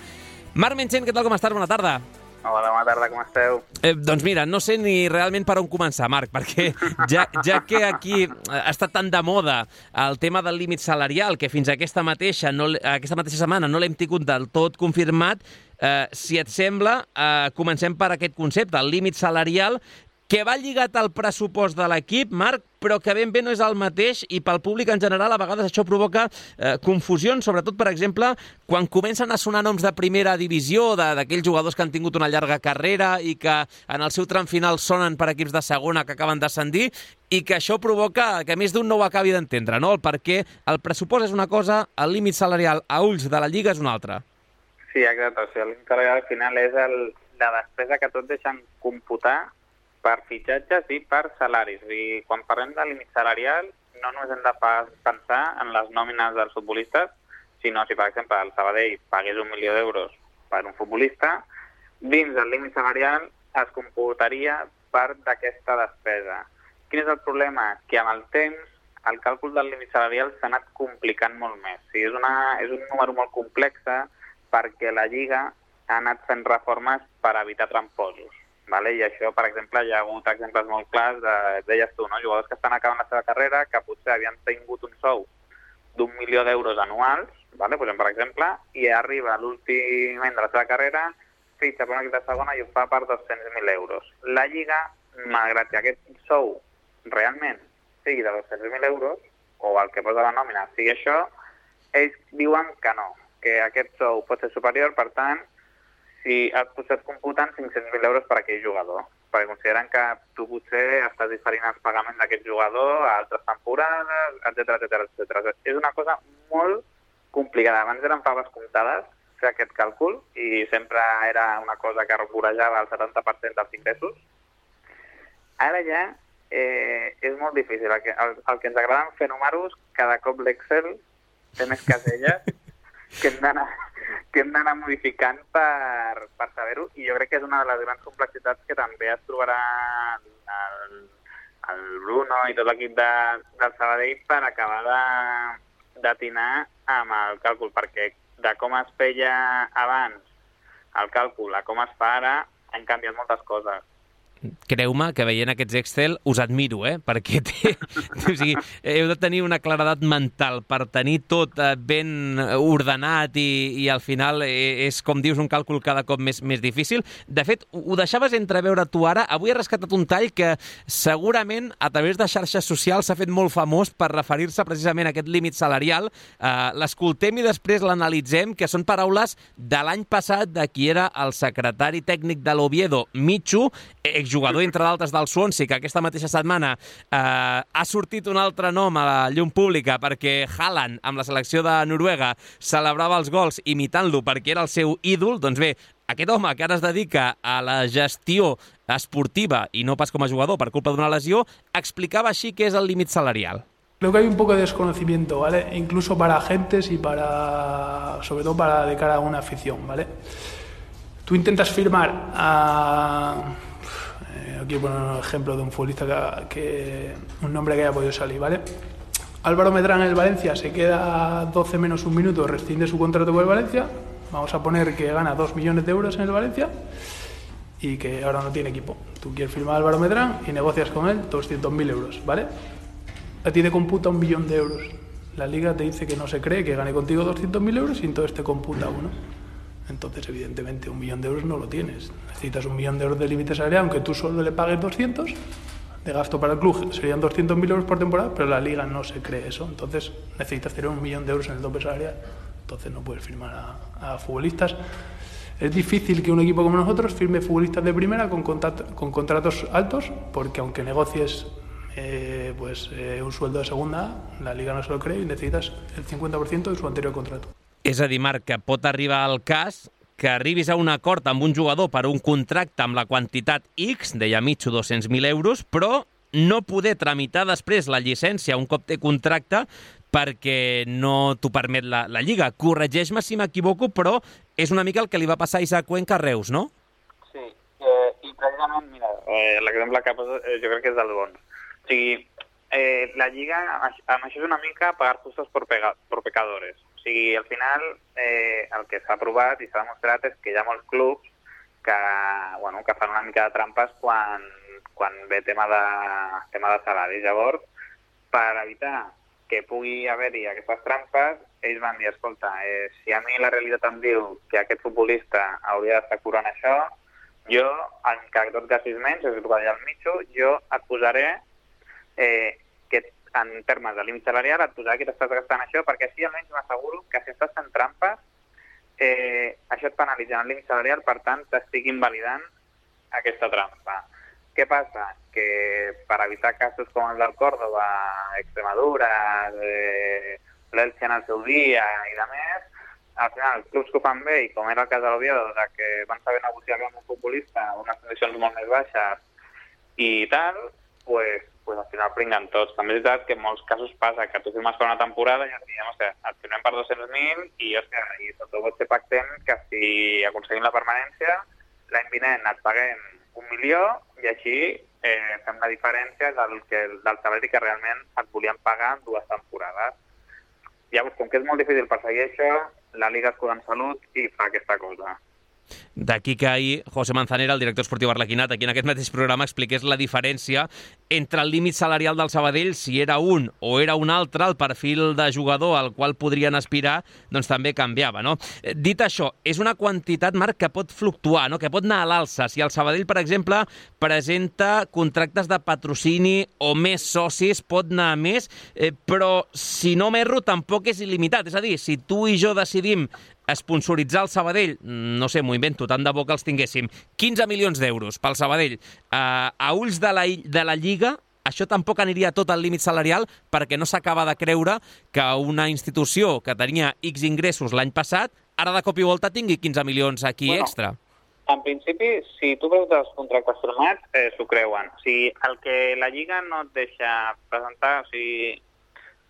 Marc Menchen, què tal, com estàs? Bona tarda. Hola, bona tarda, com esteu? Eh, doncs mira, no sé ni realment per on començar, Marc, perquè ja, ja que aquí ha estat tan de moda el tema del límit salarial, que fins a aquesta mateixa, no, aquesta mateixa setmana no l'hem tingut del tot confirmat, eh, si et sembla, eh, comencem per aquest concepte, el límit salarial, que va lligat al pressupost de l'equip, Marc, però que ben bé no és el mateix i pel públic en general a vegades això provoca eh, confusions, sobretot, per exemple, quan comencen a sonar noms de primera divisió, d'aquells jugadors que han tingut una llarga carrera i que en el seu tram final sonen per equips de segona que acaben d'ascendir, i que això provoca que més d'un no ho acabi d'entendre, no? El perquè el pressupost és una cosa, el límit salarial a ulls de la Lliga és una altra. Sí, exacte. O sigui, el límit salarial al final és el, la despesa que tots deixen computar per fitxatges i per salaris. I quan parlem de límit salarial, no només hem de pensar en les nòmines dels futbolistes, sinó si, per exemple, el Sabadell pagués un milió d'euros per un futbolista, dins del límit salarial es computaria part d'aquesta despesa. Quin és el problema? Que amb el temps el càlcul del límit salarial s'ha anat complicant molt més. O sigui, és, una, és un número molt complex perquè la Lliga ha anat fent reformes per evitar tramposos. Vale? I això, per exemple, hi ha hagut exemples molt clars, de, deies tu, no? Jugadors que estan acabant la seva carrera, que potser havien tingut un sou d'un milió d'euros anuals, vale? Pues, per exemple, i arriba l'últim any de la seva carrera, fitxa per un equip de segona i ho fa per dos-cents mil euros. La Lliga, malgrat que aquest sou realment sigui de dos-cents mil euros, o el que posa la nòmina sigui això, ells diuen que no, que aquest sou pot ser superior, per tant, si has posat computant cinc-cents mil euros per aquell jugador, perquè consideren que tu potser estàs diferint els pagaments d'aquest jugador a altres temporades, etcètera, etcètera, etcètera. És una cosa molt complicada. Abans eren faves comptades fer aquest càlcul i sempre era una cosa que vorejava el setanta per cent dels ingressos. Ara ja eh, és molt difícil. El que, el, el que ens agrada fer números, cada cop l'Excel té més caselles que hem d'anar que hem d'anar modificant per, per saber-ho, i jo crec que és una de les grans complexitats que també es trobarà el, el Bruno i tot l'equip de, del Sabadell per acabar d'atinar amb el càlcul, perquè de com es feia abans el càlcul a com es fa ara han canviat moltes coses. creu-me que veient aquests Excel us admiro, eh? Perquè té, o sigui, heu de tenir una claredat mental per tenir tot ben ordenat i, i al final és, com dius, un càlcul cada cop més, més difícil. De fet, ho deixaves entreveure tu ara. Avui has rescatat un tall que segurament a través de xarxes socials s'ha fet molt famós per referir-se precisament a aquest límit salarial. Uh, l'escoltem i després l'analitzem, que són paraules de l'any passat de qui era el secretari tècnic de l'Oviedo, Michu, exjugador, entre d'altres, del Swansea, que aquesta mateixa setmana eh, ha sortit un altre nom a la llum pública perquè Haaland, amb la selecció de Noruega, celebrava els gols imitant-lo perquè era el seu ídol. Doncs bé, aquest home que ara es dedica a la gestió esportiva i no pas com a jugador per culpa d'una lesió, explicava així què és el límit salarial. Creo que hay un poco de desconocimiento, ¿vale? Incluso para agentes y para, sobre todo para de cara a una afición, ¿vale? Tú intentas firmar a... Eh, aquí poner un ejemplo de un futbolista que, que... un nombre que haya podido salir, ¿vale? Álvaro Medrán en el Valencia se queda doce menos un minuto, rescinde su contrato con el Valencia. Vamos a poner que gana dos millones de euros en el Valencia y que ahora no tiene equipo. Tú quieres firmar a Álvaro Medrán y negocias con él doscientos mil euros, ¿vale? A ti te computa un millón de euros. La Liga te dice que no se cree que gane contigo doscientos mil euros y entonces te computa uno. Entonces, evidentemente, un millón de euros no lo tienes. Necesitas un millón de euros de límite salarial, aunque tú solo le pagues doscientos de gasto para el club. Serían doscientos mil euros por temporada, pero la Liga no se cree eso. Entonces, necesitas tener un millón de euros en el tope salarial. Entonces, no puedes firmar a, a futbolistas. Es difícil que un equipo como nosotros firme futbolistas de primera con, con contratos altos, porque aunque negocies eh, pues, eh, un sueldo de segunda, la Liga no se lo cree y necesitas el cincuenta por ciento de su anterior contrato. És a dir, Marc, que pot arribar al cas que arribis a un acord amb un jugador per un contracte amb la quantitat X, deia Michu, dos-cents mil euros, però no poder tramitar després la llicència un cop té contracte perquè no t'ho permet la, la Lliga. Corregeix-me si m'equivoco, però és una mica el que li va passar a Isaac Cuenca a Reus, no? Sí, eh, i precisament, mira, eh, l'exemple que poso eh, jo crec que és del bon. O sigui, eh, la Lliga, amb això és una mica pagar justos por, pega, por pecadores. O sigui, al final, eh, el que s'ha aprovat i s'ha demostrat és que hi ha molts clubs que, bueno, que fan una mica de trampes quan, quan ve tema de, tema de salaris. Llavors, per evitar que pugui haver-hi aquestes trampes, ells van dir, escolta, eh, si a mi la realitat em diu que aquest futbolista hauria d'estar curant això, jo, en cada dos que sis menys, és el que deia el Michu, jo et posaré eh, que en termes de límit salarial et posarà que t'estàs gastant això, perquè així almenys m'asseguro que si estàs fent trampes, eh, això et penalitza en el límit salarial, per tant t'estic invalidant aquesta trampa. Què passa? Que per evitar casos com el del Córdoba, Extremadura, eh, l'Elche en el seu dia i de més, al final els clubs que ho fan bé, i com era el cas de l'Oviedo, que van saber negociar amb un futbolista a unes condicions molt més baixes i tal, pues, pues al final pringuen tots. També és veritat que en molts casos passa que tu firmes per una temporada i et diem, o sigui, et firmem per dos-cents mil i, hòstia, i sobretot potser pactem que si aconseguim la permanència, l'any vinent et paguem un milió i així eh, fem la diferència del, que, del salari que realment et volien pagar en dues temporades. Llavors, com que és molt difícil perseguir això, la Liga es cura en salut i fa aquesta cosa. D'aquí que ahir José Manzanera, el director esportiu arlequinat, aquí en aquest mateix programa expliqués la diferència entre el límit salarial del Sabadell, si era un o era un altre, el perfil de jugador al qual podrien aspirar, doncs també canviava, no? Dit això, és una quantitat, Marc, que pot fluctuar, no? Que pot anar a l'alça. Si el Sabadell, per exemple, presenta contractes de patrocini o més socis, pot anar a més, eh, però si no m'erro, tampoc és il·limitat. És a dir, si tu i jo decidim esponsoritzar el Sabadell, no sé, m'ho invento, tant de bo que els tinguéssim, quinze milions d'euros pel Sabadell, eh, a ulls de la, de la Lliga, això tampoc aniria tot al límit salarial perquè no s'acaba de creure que una institució que tenia X ingressos l'any passat, ara de cop i volta tingui quinze milions aquí bueno, extra. En principi, si tu veus els contractes firmats, eh, s'ho creuen. O sigui, el que la Lliga no et deixa presentar, o sigui,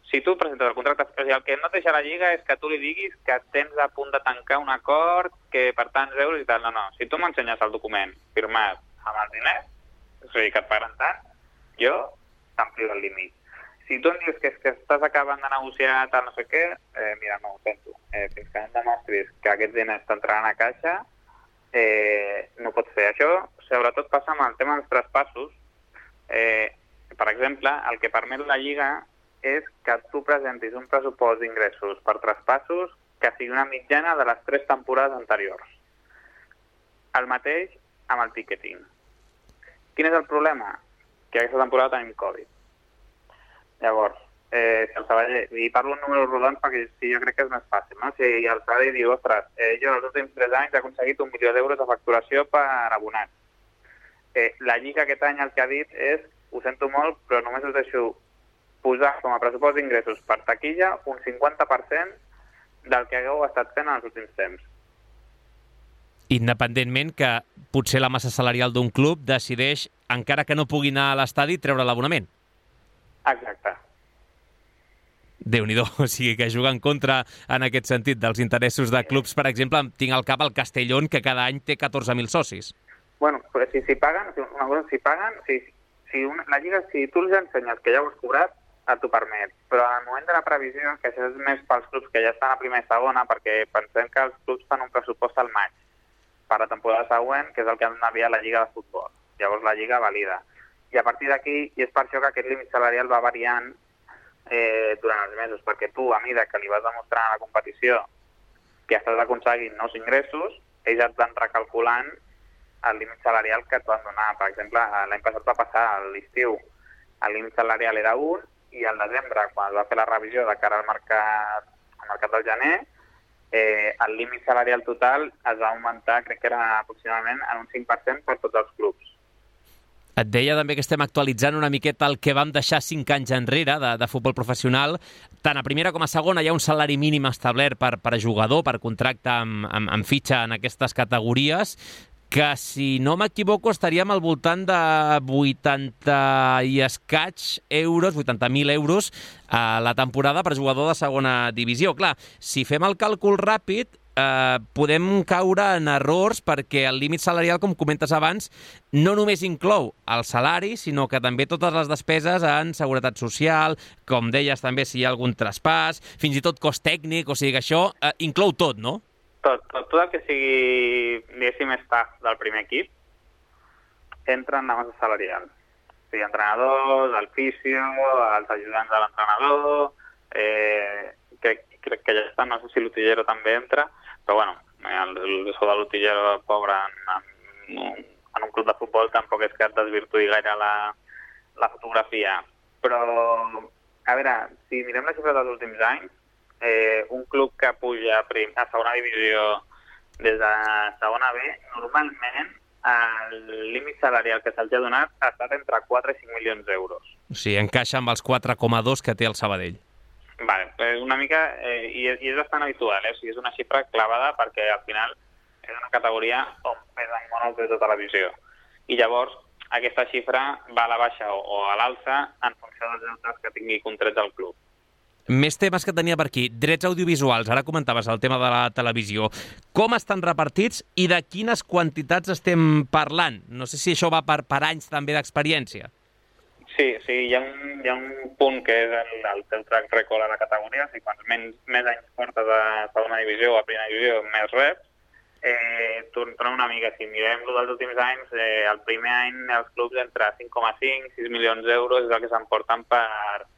si tu presentes el contracte, o sigui, el que no et deixa la Lliga és que tu li diguis que tens a punt de tancar un acord, que per tants euros i tal. No, no. Si tu m'ensenyes el document firmat amb els diners, o sigui, que et paguen tant, jo t'amplio el límit. Si tu em dius que, que estàs acabant de negociar tal no sé què, eh, mira, no ho sento. Eh, fins que no demostris que aquests diners t'entraran a caixa, eh, no pots fer. Això sobretot passa amb el tema dels traspassos. Eh, per exemple, el que permet la Lliga és que tu presentis un pressupost d'ingressos per traspassos que sigui una mitjana de les tres temporades anteriors. El mateix amb el ticketing. Quin és el problema? Que aquesta temporada tenim Covid. Llavors, eh, si el Sabadell, i parlo en números rodons perquè sí, jo crec que és més fàcil, no? Si el Sabadell diu, ostres, eh, jo els últims tres anys he aconseguit un milió d'euros de facturació per abonats. Eh, la Lliga aquest any el que ha dit és, ho sento molt, però només us deixo posar com a pressupost d'ingressos per taquilla un cinquanta per cent del que hagueu estat fent en els últims temps. Independentment que potser la massa salarial d'un club decideix, encara que no pugui anar a l'estadi, treure l'abonament. Exacte. Déu-n'hi-do, o sigui que juga en contra en aquest sentit dels interessos de clubs. Per exemple, tinc al cap el Castellón, que cada any té catorze mil socis. Bueno, però si, si paguen, si, una cosa, si paguen, si, si una, la Lliga, si tu els ensenyes que ja ho has cobrat, et ho permet. Però al moment de la previsió, que això és més pels clubs que ja estan a primera i segona, perquè pensem que els clubs fan un pressupost al maig per a la temporada següent, que és el que han d'enviar a la Lliga de Futbol. Llavors la Lliga valida. I a partir d'aquí, i és per això que aquest límit salarial va variant eh, durant els mesos, perquè tu, a mesura que li vas demostrar a la competició que estàs aconseguint nous ingressos, ells et van recalculant el límit salarial que et van donar. Per exemple, l'any passat va passar a l'estiu, el límit salarial era un, i al desembre, quan es va fer la revisió de cara al mercat, al mercat del gener, eh, el límit salarial total es va augmentar, crec que era aproximadament en un cinc per cent per tots els clubs. Et deia també que estem actualitzant una miqueta el que vam deixar cinc anys enrere de, de futbol professional. Tant a primera com a segona hi ha un salari mínim establert per, per jugador, per contracte amb, amb, amb fitxa en aquestes categories, que, si no m'equivoco, estaríem al voltant de vuitanta i escaig euros, vuitanta mil euros a la temporada per jugador de segona divisió. Clar, si fem el càlcul ràpid, eh, podem caure en errors perquè el límit salarial, com comentes abans, no només inclou el salari, sinó que també totes les despeses en seguretat social, com deies també si hi ha algun traspàs, fins i tot cost tècnic, o sigui que això eh, inclou tot, no? Tot, tot, tot el que sigui, diguéssim, staff del primer equip entra en la massa salarial. O sigui, entrenadors, el fisio, els ajudants de l'entrenador, eh, crec, crec que ja està, no sé si l'utillero també entra, però bueno, el, el sou de l'utillero pobre en, en, en un club de futbol tampoc és que et desvirtuï gaire la, la fotografia. Però, a veure, si mirem la xifra dels últims anys, Eh, un club que puja a, prim, a segona divisió des de segona B, normalment el límit salarial que se'ls ha donat ha estat entre quatre i cinc milions d'euros. O sigui, encaixa amb els quatre coma dos que té el Sabadell. Vale, és una mica, eh, i, és, i és bastant habitual, eh? O sigui, és una xifra clavada perquè al final és una categoria on pesen molt els drets de televisió. I llavors aquesta xifra va a la baixa o, o a l'alça en funció dels deutes que tingui contrets el club. Més temes que tenia per aquí. Drets audiovisuals. Ara comentaves el tema de la televisió. Com estan repartits i de quines quantitats estem parlant? No sé si això va per, per anys també d'experiència. Sí, sí, hi ha un, hi ha un punt que és el, el teu track record a la categoria. O sigui, quants menys, més anys portes a segona divisió o a primera divisió, més reps. Eh, tornem una mica, si mirem dels últims anys, eh, el primer any els clubs entre cinc coma cinc i sis milions d'euros és el que s'emporten per...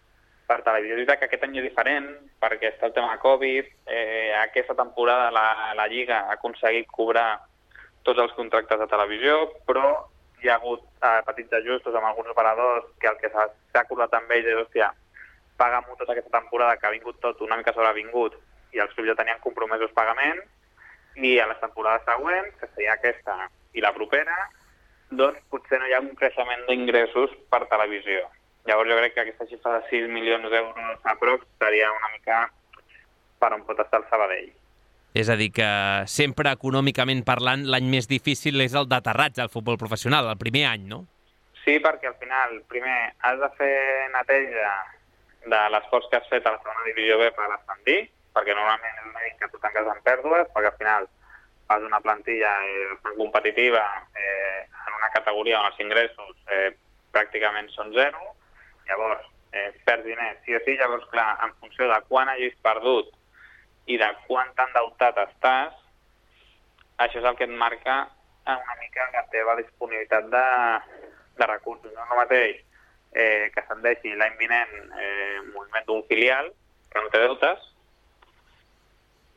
per televisió. És veritat que aquest any és diferent, perquè està el tema de Covid, eh, aquesta temporada la, la Lliga ha aconseguit cobrar tots els contractes de televisió, però hi ha hagut eh, petits ajustos amb alguns operadors que el que s'ha acordat amb ells és, hòstia, paga-m'ho tota aquesta temporada que ha vingut tot una mica sobrevingut i els clubs ja tenien compromesos pagaments, i a les temporades següents, que seria aquesta i la propera, doncs potser no hi ha un creixement d'ingressos per televisió. Llavors jo crec que aquesta xifra de sis milions d'euros a prox seria una mica per on pot estar el Sabadell. És a dir, que sempre econòmicament parlant l'any més difícil és el d'aterratge al futbol professional, el primer any, no? Sí, perquè al final, primer, has de fer neteja de l'esforç que has fet a la segona divisió B per ascendir, perquè normalment és una mica que tu tanques en pèrdues, perquè al final fas una plantilla eh, competitiva eh, en una categoria on els ingressos eh, pràcticament són zero. Llavors, eh, perds diners, sí o sí, llavors, clar, en funció de quan hagis perdut i de quant endeutat estàs, això és el que et marca una mica la teva disponibilitat de, de recursos. No és el mateix eh, que se'n deixi l'any vinent eh, moviment d'un filial, que no té deutes,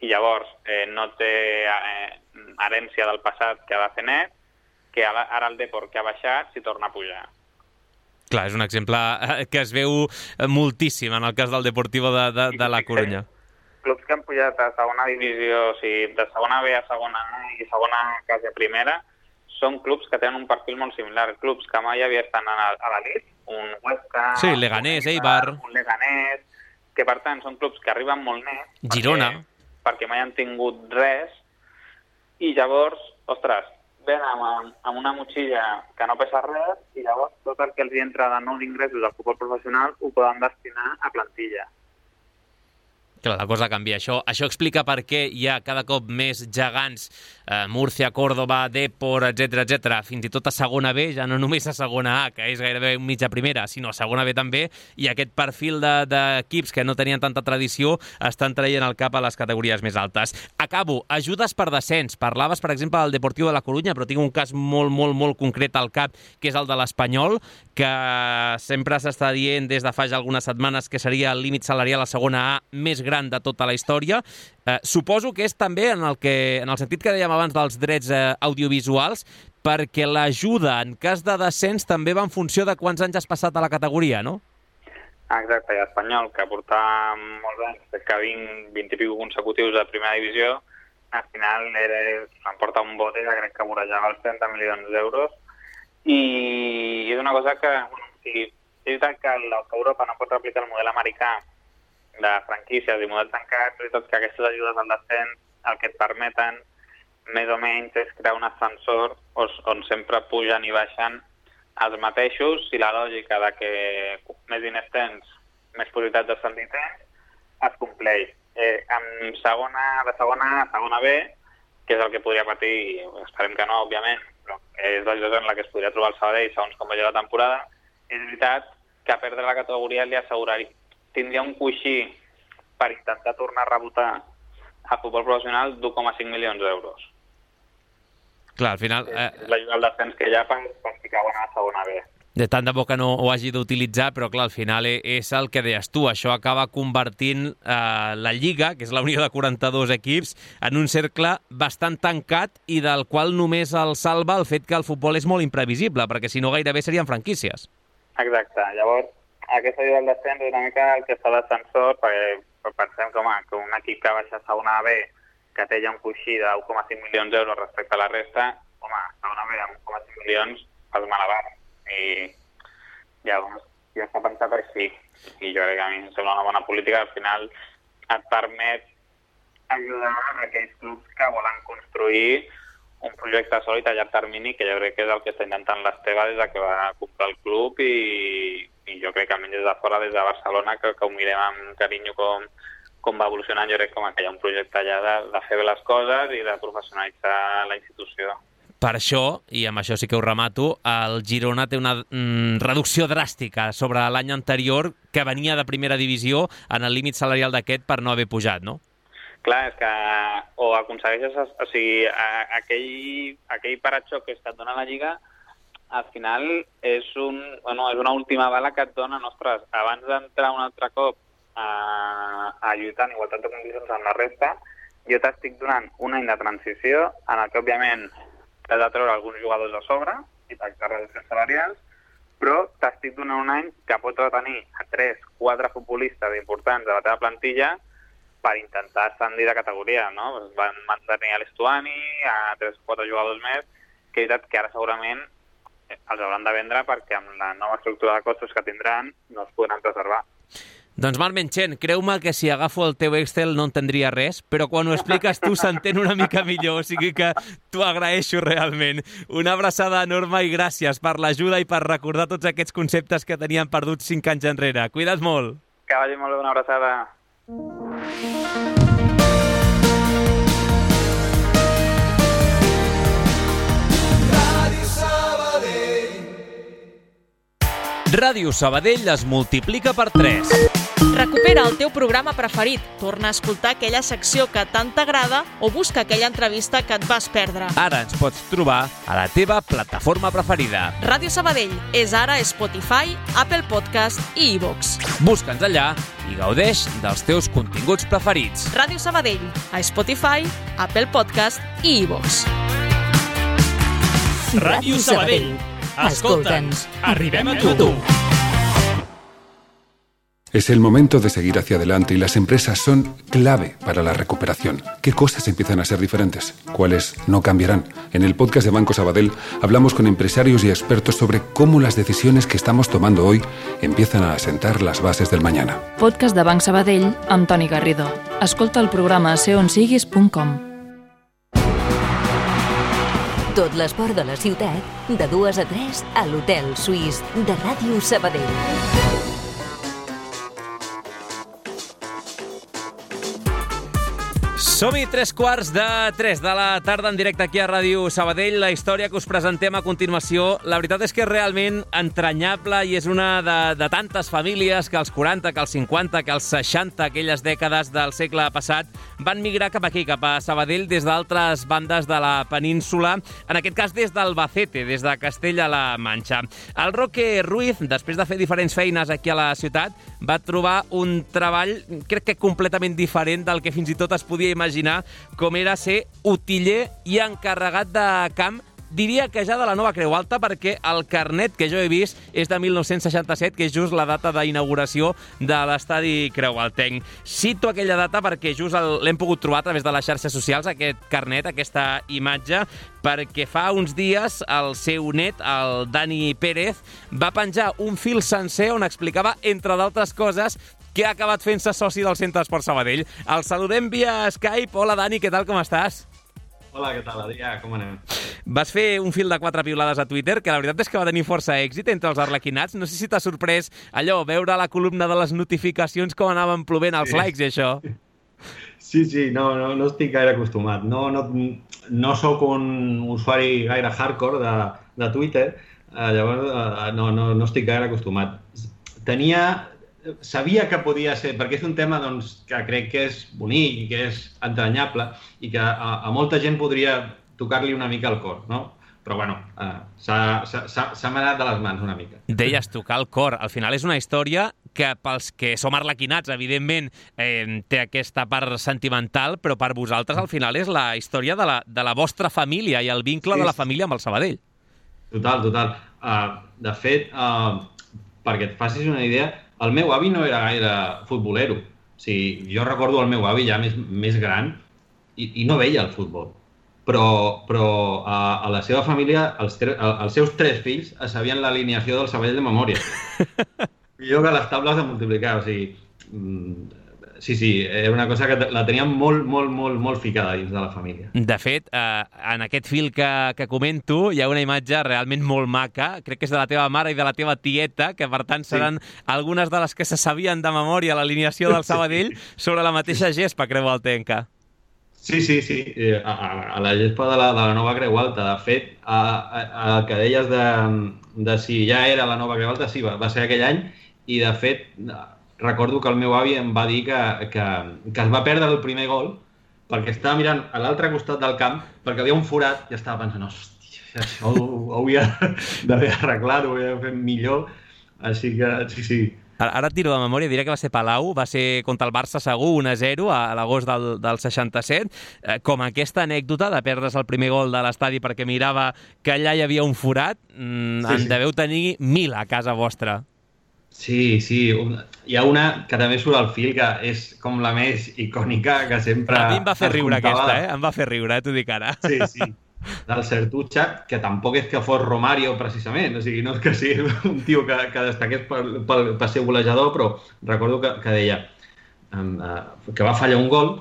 i llavors eh, no té eh, herència del passat que ha de fer net, que ara el Depor que ha baixat s'hi torna a pujar. Clar, és un exemple que es veu moltíssim en el cas del Deportivo de, de, de la Corunya. Clubs que han pujat a segona divisió, o sigui, de segona B a segona A i segona quasi a primera, són clubs que tenen un perfil molt similar. Clubs que mai havia estat a l'elit, un Huesca, sí, Leganés, un Eibar, un Leganés, que per tant són clubs que arriben molt net. Girona. Perquè, perquè mai han tingut res, i llavors, ostres, ven amb, amb una motxilla que no pesa res i llavors tot el que els entra de nous ingressos al futbol professional ho poden destinar a plantilla. Clar, la cosa canvia. Això, això explica per què hi ha cada cop més gegants, eh, Múrcia, Córdoba, Depor, etcètera, etcètera, fins i tot a segona B, ja no només a segona A, que és gairebé mitja primera, sinó a segona B també, i aquest perfil d'equips de, que no tenien tanta tradició estan traient el cap a les categories més altes. Acabo. Ajudes per descens. Parlaves, per exemple, del Deportivo de la Corunya, però tinc un cas molt, molt, molt concret al cap, que és el de l'Espanyol, que sempre s'està dient des de fa ja algunes setmanes que seria el límit salarial a segona A més gran de tota la història. Eh, suposo que és també en el, que, en el sentit que dèiem abans dels drets eh, audiovisuals, perquè l'ajuda en cas de descens també va en funció de quants anys has passat a la categoria, no? Exacte, i l'Espanyol, que portava molts anys, que vint, vint i pico consecutius de primera divisió, al final era, s'emporta un bote que crec que vorejava els trenta milions d'euros, i és una cosa que, bueno, sí, és veritat que Europa no pot replicar el model americà de franquícies i models tancats, i tot que aquestes ajudes al descens el que et permeten més o menys és crear un ascensor on sempre pugen i baixen els mateixos, i la lògica de que més diners tens, més possibilitats d'ascendir tens, es compleix. Eh, en segona, de segona A a segona B, que és el que podria patir, esperem que no, òbviament, però és la situació en la que es podria trobar el Sabadell segons com vagi la temporada, és veritat que a perdre la categoria li asseguraria tindria un coixí per intentar tornar a rebotar a futbol professional d'un coma cinc milions d'euros. Clar, al final... Eh... L'ajuda al descens que hi ha per, per ficar a la segona B. De tant de bo que no ho hagi d'utilitzar, però clar, al final és el que deies tu. Això acaba convertint eh, la Lliga, que és la unió de quaranta-dos equips, en un cercle bastant tancat i del qual només el salva el fet que el futbol és molt imprevisible, perquè si no gairebé serien franquícies. Exacte. Llavors, aquesta ajuda al descens és una mica el que fa d'ascensor, perquè pensem que, home, que un equip que baixa a segona B, que té ja un coixí de un coma cinc milions d'euros respecte a la resta, home, segona B amb un coma cinc milions fas malabar. I llavors ja s'ha pensat així. I jo crec que a mi em sembla una bona política. Al final et permet ajudar a aquells clubs que volen construir un projecte sòlid a llarg termini, que jo crec que és el que està intentant l'Esteve des que va comprar el club, i, i jo crec que almenys des de fora, des de Barcelona, que, que ho mirem amb carinyo com, com va evolucionant. Jo crec que, que hi ha un projecte allà de, de fer bé les coses i de professionalitzar la institució. Per això, i amb això sí que ho remato, el Girona té una mm, reducció dràstica sobre l'any anterior, que venia de primera divisió en el límit salarial d'aquest per no haver pujat, no? Clar, és que o aconsegueixes, o sigui, aquell, aquell paratxó que et dona la Lliga, al final és, un, bueno, és una última bala que et dona, ostres, abans d'entrar un altre cop a, a lluitar en igualtat de condicions amb la resta, jo t'estic donant un any de transició en el que, òbviament, t'has de treure alguns jugadors de sobre i pactar reduccions salarials, però t'estic donant un any que pots retenir a tres, quatre futbolistes importants de la teva plantilla per intentar ascendir de categoria, no? Van mantenir a l'Estuani, a tres o quatre jugadors més, que és veritat que ara segurament els hauran de vendre perquè amb la nova estructura de costos que tindran no es podran preservar. Doncs Marc Menchen, creu-me que si agafo el teu Excel no entendria res, però quan ho expliques tu s'entén una mica millor, o sigui que t'ho agraeixo realment. Una abraçada enorme i gràcies per l'ajuda i per recordar tots aquests conceptes que teníem perduts cinc anys enrere. Cuida't molt. Que vagi molt bé, una abraçada. Ràdio Sabadell es multiplica per tres. Recupera el teu programa preferit, torna a escoltar aquella secció que tant t'agrada o busca aquella entrevista que et vas perdre. Ara ens pots trobar a la teva plataforma preferida. Ràdio Sabadell és ara a Spotify, Apple Podcast i iVoox. Busca'ns allà i gaudeix dels teus continguts preferits. Ràdio Sabadell, a Spotify, Apple Podcast i iVoox. Ràdio Sabadell. Escolta'ns, arribem a tu. Es el momento de seguir hacia adelante y las empresas son clave para la recuperación. ¿Qué cosas empiezan a ser diferentes? ¿Cuáles no cambiarán? En el podcast de Banco Sabadell hablamos con empresarios y expertos sobre cómo las decisiones que estamos tomando hoy empiezan a asentar las bases del mañana. Podcast de Banc Sabadell amb Toni Garrido. Escolta el programa a ser on siguis punt com. Tot l'esport de la ciutat, de dues a tres, a l'Hotel Suís de Ràdio Sabadell. Som-hi, tres quarts de tres de la tarda en directe aquí a Ràdio Sabadell. La història que us presentem a continuació, la veritat és que és realment entranyable i és una de, de tantes famílies que als quaranta, que als cinquanta, que als seixanta, aquelles dècades del segle passat, van migrar cap aquí, cap a Sabadell, des d'altres bandes de la península, en aquest cas des d'Albacete, des de Castella-La Manxa. El Roque Ruiz, després de fer diferents feines aquí a la ciutat, va trobar un treball, crec que completament diferent del que fins i tot es podia imaginar imaginar com era ser utiller i encarregat de camp, diria que ja de la Nova Creu Alta, perquè el carnet que jo he vist és de mil nou-cents seixanta-set, que és just la data d'inauguració de l'estadi Creualtenc. Cito aquella data perquè just l'hem pogut trobar a través de les xarxes socials, aquest carnet, aquesta imatge, perquè fa uns dies el seu net, el Dani Pérez, va penjar un fil sencer on explicava, entre d'altres coses, que ha acabat fent-se soci del Centre d'Esport Sabadell. El saludem via Skype. Hola, Dani, què tal, com estàs? Hola, què tal, Adrià? Com anem? Vas fer un fil de quatre piulades a Twitter, que la veritat és que va tenir força èxit entre els arlequinats. No sé si t'ha sorprès allò, veure la columna de les notificacions com anaven plovent els sí. likes i això. Sí, sí, no, no, no estic gaire acostumat. No, no, no sóc un usuari gaire hardcore de, de Twitter, eh, llavors eh, no, no, no estic gaire acostumat. Tenia... Sabia que podia ser, perquè és un tema doncs, que crec que és bonic i que és entranyable i que a, a molta gent podria tocar-li una mica el cor, no? Però, bueno, eh, s'ha m'ha anat de les mans una mica. Deies tocar el cor. Al final és una història que pels que som arlequinats, evidentment, eh, té aquesta part sentimental, però per vosaltres al final és la història de la, de la vostra família i el vincle sí. de la família amb el Sabadell. Total, total. Uh, de fet, uh, perquè et facis una idea, el meu avi no era gaire futbolero. O sigui, jo recordo el meu avi ja més, més gran i, i no veia el futbol. Però, però a, a la seva família, els, tre, els seus tres fills sabien l'alineació del Sabadell de memòria. Millor que les tables de multiplicar. O sigui, sí, sí, era una cosa que la teníem molt, molt, molt, molt ficada dins de la família. De fet, eh, en aquest fil que, que comento hi ha una imatge realment molt maca, crec que és de la teva mare i de la teva tieta, que per tant seran sí. algunes de les que se sabien de memòria l'alineació del Sabadell sobre la mateixa gespa creualtenca. Sí, sí, sí, a, a, a la gespa de la, de la Nova Creu Alta. De fet, a, a, a que deies de, de si ja era la Nova Creu Alta, sí, va, va ser aquell any, i de fet recordo que el meu avi em va dir que, que, que es va perdre el primer gol perquè estava mirant a l'altre costat del camp perquè havia un forat i estava pensant, hòstia, això ho, ho hauia d'haver arreglat, ho hauria de fer millor. Així que, sí, sí. Ara, ara et tiro de memòria, diré que va ser Palau, va ser contra el Barça segur, un a zero a l'agost del, del seixanta-set. Eh, com aquesta anècdota de perdre's el primer gol de l'estadi perquè mirava que allà hi havia un forat, mm, sí, en sí. deveu tenir mil a casa vostra. Sí, sí. Hi ha una que també surt al fil, que és com la més icònica, que sempre... A mi em va fer riure aquesta, eh? Em va fer riure, eh? T'ho dic ara. Sí, sí. Del Sertucha, que tampoc és que fos Romario, precisament. O sigui, no és que sigui un tio que, que destaqués per, per, per ser golejador, però recordo que, que deia um, uh, que va fallar un gol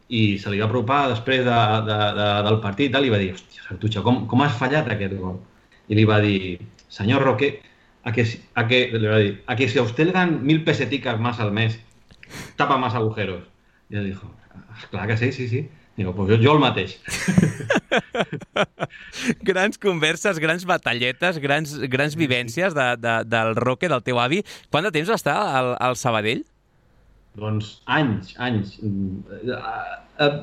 i se li va apropar després de, de, de, del partit i li va dir, hòstia, Sertucha, com, com has fallat aquest gol? I li va dir, senyor Roque, A que, a, que, le va a, decir, a que si a usted le dan mil peseticas más al mes, tapa más agujeros. Y él dijo, clar que sí, sí, sí. Digo, pues jo, jo el mateix. Grans converses, grans batalletes, grans, grans vivències de, de, del Roque, del teu avi. Quant de temps va estar al, al Sabadell? Doncs anys, anys. Uh, uh,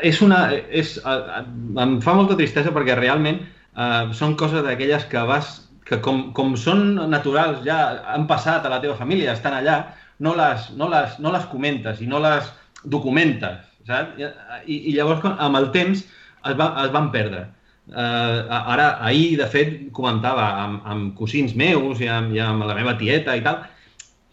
és una... És, uh, em fa molta tristesa perquè realment uh, són coses d'aquelles que vas... que com, com són naturals, ja han passat a la teva família, estan allà, no les, no les, no les comentes i no les documentes, saps? I, i llavors, amb el temps, es, va, es van perdre. Uh, ara, ahir, de fet, comentava amb, amb cosins meus i amb, i amb la meva tieta i tal,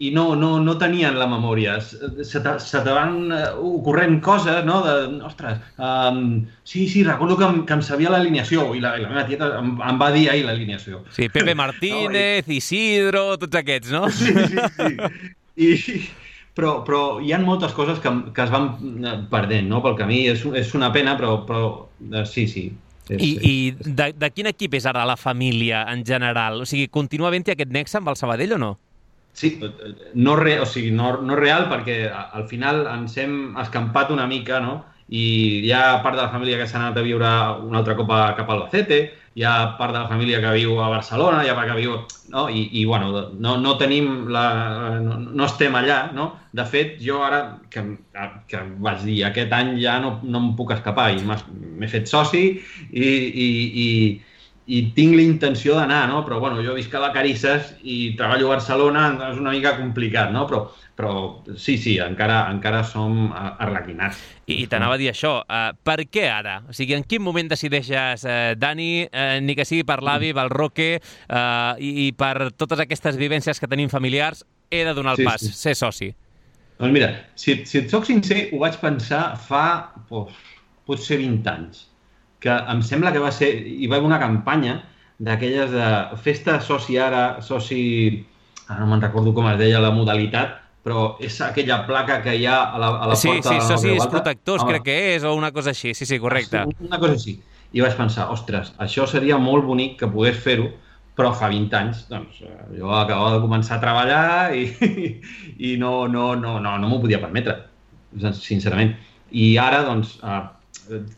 i no, no, no tenien la memòria. Se te, se te van ocorrent coses, no? De, ostres, um, sí, sí, recordo que em, que em sabia l'alineació i la, i la meva tieta em, em va dir ahir l'alineació. Sí, Pepe Martínez, no, i... Isidro, tots aquests, no? Sí, sí, sí. I, però, però hi ha moltes coses que, que es van perdent, no? Pel camí. És, és una pena, però, però sí, sí. És, I i de, de quin equip és ara la família en general? O sigui, continua havent-hi aquest nexe amb el Sabadell o no? Sí, no, re, o sigui, no, no real, perquè al final ens hem escampat una mica, no? I hi ha part de la família que s'ha anat a viure un altre cop a, cap a Albacete, hi ha part de la família que viu a Barcelona, hi ha part que viu... No? I, i bueno, no, no tenim la... No, no estem allà, no? De fet, jo ara, que, que vaig dir, aquest any ja no, no em puc escapar, i m'he fet soci i... i, i i tinc la intenció d'anar, no? Però bueno, jo visc a Vacarisses i treballo a Barcelona, és una mica complicat, no? Però, però sí, sí, encara, encara som arlequinats. I, i t'anava a dir això, uh, per què ara? O sigui, en quin moment decideixes, uh, Dani, uh, ni que sigui per l'avi, pel Roque, uh, i, i per totes aquestes vivències que tenim familiars, he de donar el sí, pas, sí. ser soci? Doncs mira, si, si et soc sincer, ho vaig pensar fa, oh, potser vint anys. Que em sembla que va ser... Hi va haver una campanya d'aquelles de festa soci ara, soci... Ara no me'n recordo com es deia la modalitat, però és aquella placa que hi ha a la, a la sí, porta sí, de la socis Gualta. protectors, Home, crec que és, o una cosa així. Sí, sí, correcte. Una cosa així. I vaig pensar, ostres, això seria molt bonic que pogués fer-ho, però fa vint anys, doncs, jo acabava de començar a treballar i, i no, no, no, no, no m'ho podia permetre, sincerament. I ara, doncs, eh,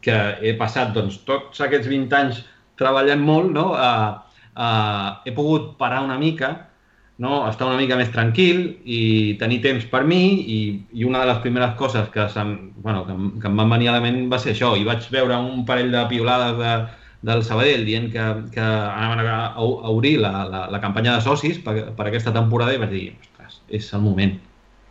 que he passat doncs, tots aquests vint anys treballant molt, no? uh, uh, he pogut parar una mica, no? Estar una mica més tranquil i tenir temps per mi i, i una de les primeres coses que, bueno, que, que em van venir a la ment va ser això, i vaig veure un parell de piolades de, del Sabadell dient que, que anaven a, a obrir la, la, la campanya de socis per, per aquesta temporada i vaig dir, ostres, és el moment.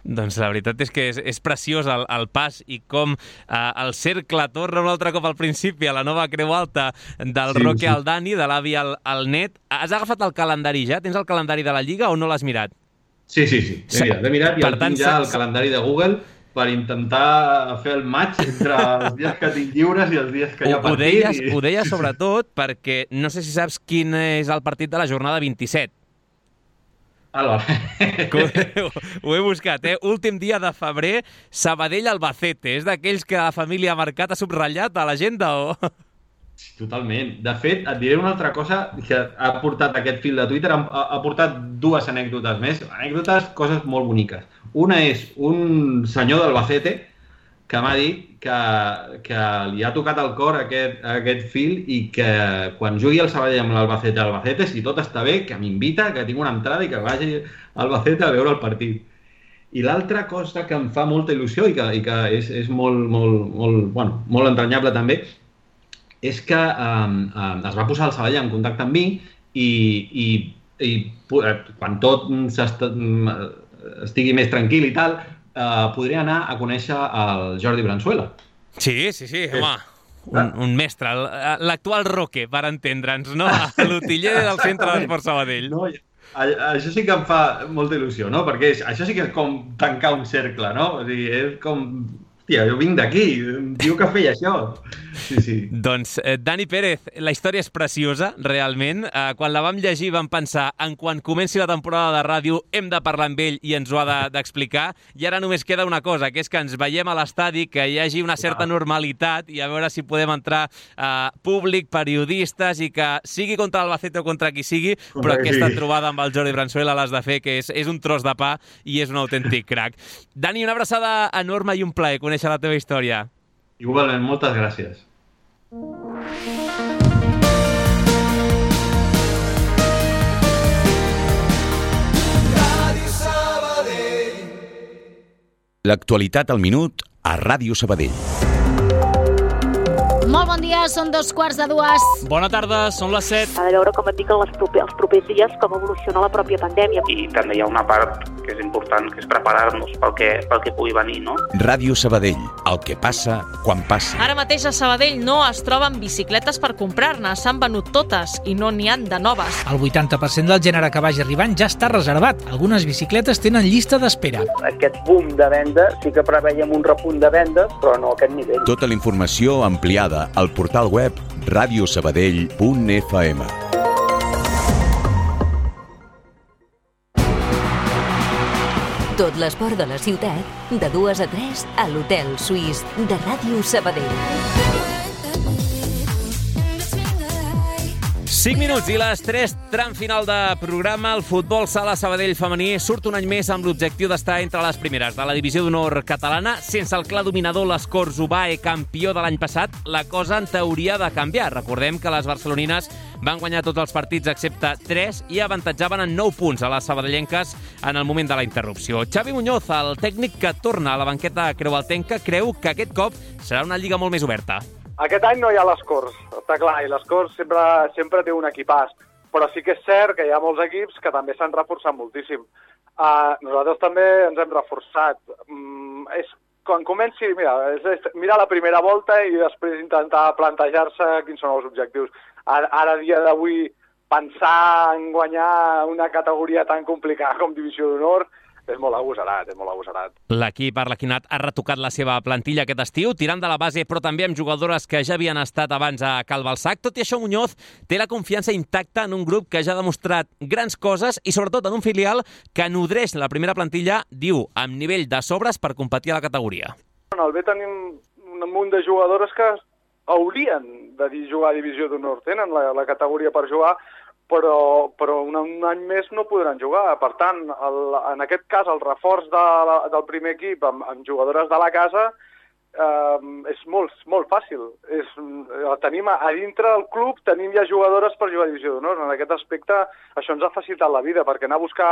Doncs la veritat és que és, és preciós el, el pas i com eh, el cercle torna un altre cop al principi a la nova Creu Alta del sí, Roque sí. al Dani, de l'avi al, al net. Has agafat el calendari ja? Tens el calendari de la Lliga o no l'has mirat? Sí, sí, sí. L'he mirat, l'he mirat i el tinc ja el calendari de Google per intentar fer el match entre els dies que tinc lliures i els dies que hi ha partit. Ho deies, i... ho deies sobretot perquè no sé si saps quin és el partit de la jornada vint-i-set. Ho, ho he buscat, eh? Últim dia de febrer, Sabadell-Albacete. És d'aquells que la família ha marcat, ha subratllat a l'agenda o...? Totalment. De fet, et diré una altra cosa que ha portat aquest fil de Twitter, ha, ha portat dues anècdotes més. Anècdotes, coses molt boniques. Una és un senyor d'Albacete que m'ha dit que, que li ha tocat el cor aquest, aquest fil i que quan jugui el Sabadell amb l'Albacete a Albacete, si tot està bé, que m'invita, que tinc una entrada i que vagi a Albacete a veure el partit. I l'altra cosa que em fa molta il·lusió i que, i que és, és molt, molt, molt, bueno, molt entranyable també, és que um, um, es va posar el Sabadell en contacte amb mi i, i, i quan tot estigui més tranquil i tal, Uh, podria anar a conèixer el Jordi Branzuela. Sí, sí, sí, home, un, un mestre, l'actual Roque, per entendre'ns, no? L'utiller del centre d'Esport Sabadell. No, això sí que em fa molta il·lusió, no? Perquè és, això sí que és com tancar un cercle, no? O sigui, és com... Hòstia, jo vinc d'aquí, diu que feia això. Sí, sí. Doncs, eh, Dani Pérez, la història és preciosa, realment. Eh, quan la vam llegir vam pensar, en quan comenci la temporada de ràdio hem de parlar amb ell i ens ho ha d'explicar. De, I ara només queda una cosa, que és que ens veiem a l'estadi, que hi hagi una certa normalitat i a veure si podem entrar eh, públic, periodistes i que sigui contra l'Albacete o contra qui sigui, però aquesta trobada amb el Jordi Branzuela l'has de fer, que és, és un tros de pa i és un autèntic crac. Dani, una abraçada enorme i un plaer conèixer la teva història. Igualment, moltes gràcies. L'actualitat al minut a Ràdio Sabadell. Molt bon dia, són dos quarts de dues. Bona tarda, són les set. Ha de veure, com et dic, els propers, els propers dies com evoluciona la pròpia pandèmia. I també hi ha una part que és important, que és preparar-nos pel que, pel que pugui venir, no? Ràdio Sabadell, el que passa quan passa. Ara mateix a Sabadell no es troben bicicletes per comprar-ne, s'han venut totes i no n'hi han de noves. El vuitanta per cent del gènere que vagi arribant ja està reservat. Algunes bicicletes tenen llista d'espera. Aquest boom de venda sí que preveiem un repunt de vendes, però no a aquest nivell. Tota la informació ampliada al portal web radio sabadell punt f m. Tot l'esport de la ciutat, de dues a tres, a l'Hotel Suís de Ràdio Sabadell. cinc minuts i les tres, tram final de programa. El futbol sala Sabadell femení surt un any més amb l'objectiu d'estar entre les primeres de la divisió d'honor catalana. Sense el clar dominador, l'Escorç Ubae, campió de l'any passat, la cosa en teoria de canviar. Recordem que les barcelonines van guanyar tots els partits excepte tres i avantatjaven en nou punts a les sabadellenques en el moment de la interrupció. Xavi Muñoz, el tècnic que torna a la banqueta creualtenca, creu que aquest cop serà una lliga molt més oberta. Aquest any no hi ha l'Escorç, està clar, i l'Escorç sempre, sempre té un equipàs, però sí que és cert que hi ha molts equips que també s'han reforçat moltíssim. Uh, nosaltres també ens hem reforçat. Mm, és, quan comenci, mira, és, és mirar la primera volta i després intentar plantejar-se quins són els objectius. Ara, ara dia d'avui, pensar en guanyar una categoria tan complicada com Divisió d'Honor és molt agosarat, és molt agosarat. L'equip arlequinat ha retocat la seva plantilla aquest estiu, tirant de la base, però també amb jugadores que ja havien estat abans a Cal Balsac. Tot i això, Muñoz té la confiança intacta en un grup que ja ha demostrat grans coses i, sobretot, en un filial que nodreix la primera plantilla, diu, amb nivell de sobres per competir a la categoria. En el B tenim un munt de jugadores que haurien de jugar a Divisió d'Honor, tenen la, la categoria per jugar, però, però un, un any més no podran jugar. Per tant, el, en aquest cas, el reforç de la, del primer equip amb, amb jugadores de la casa eh, és molt, molt fàcil. És, tenim a, a dintre del club tenim ja jugadores per jugar a Divisió d'Honor. En aquest aspecte, això ens ha facilitat la vida, perquè anar a buscar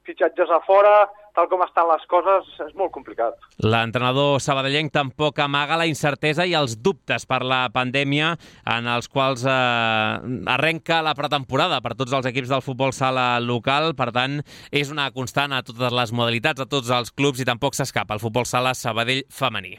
fitxatges a fora, tal com estan les coses, és molt complicat. L'entrenador sabadellenc tampoc amaga la incertesa i els dubtes per la pandèmia en els quals eh, arrenca la pretemporada per tots els equips del futbol sala local. Per tant, és una constant a totes les modalitats, a tots els clubs, i tampoc s'escapa el futbol sala Sabadell femení.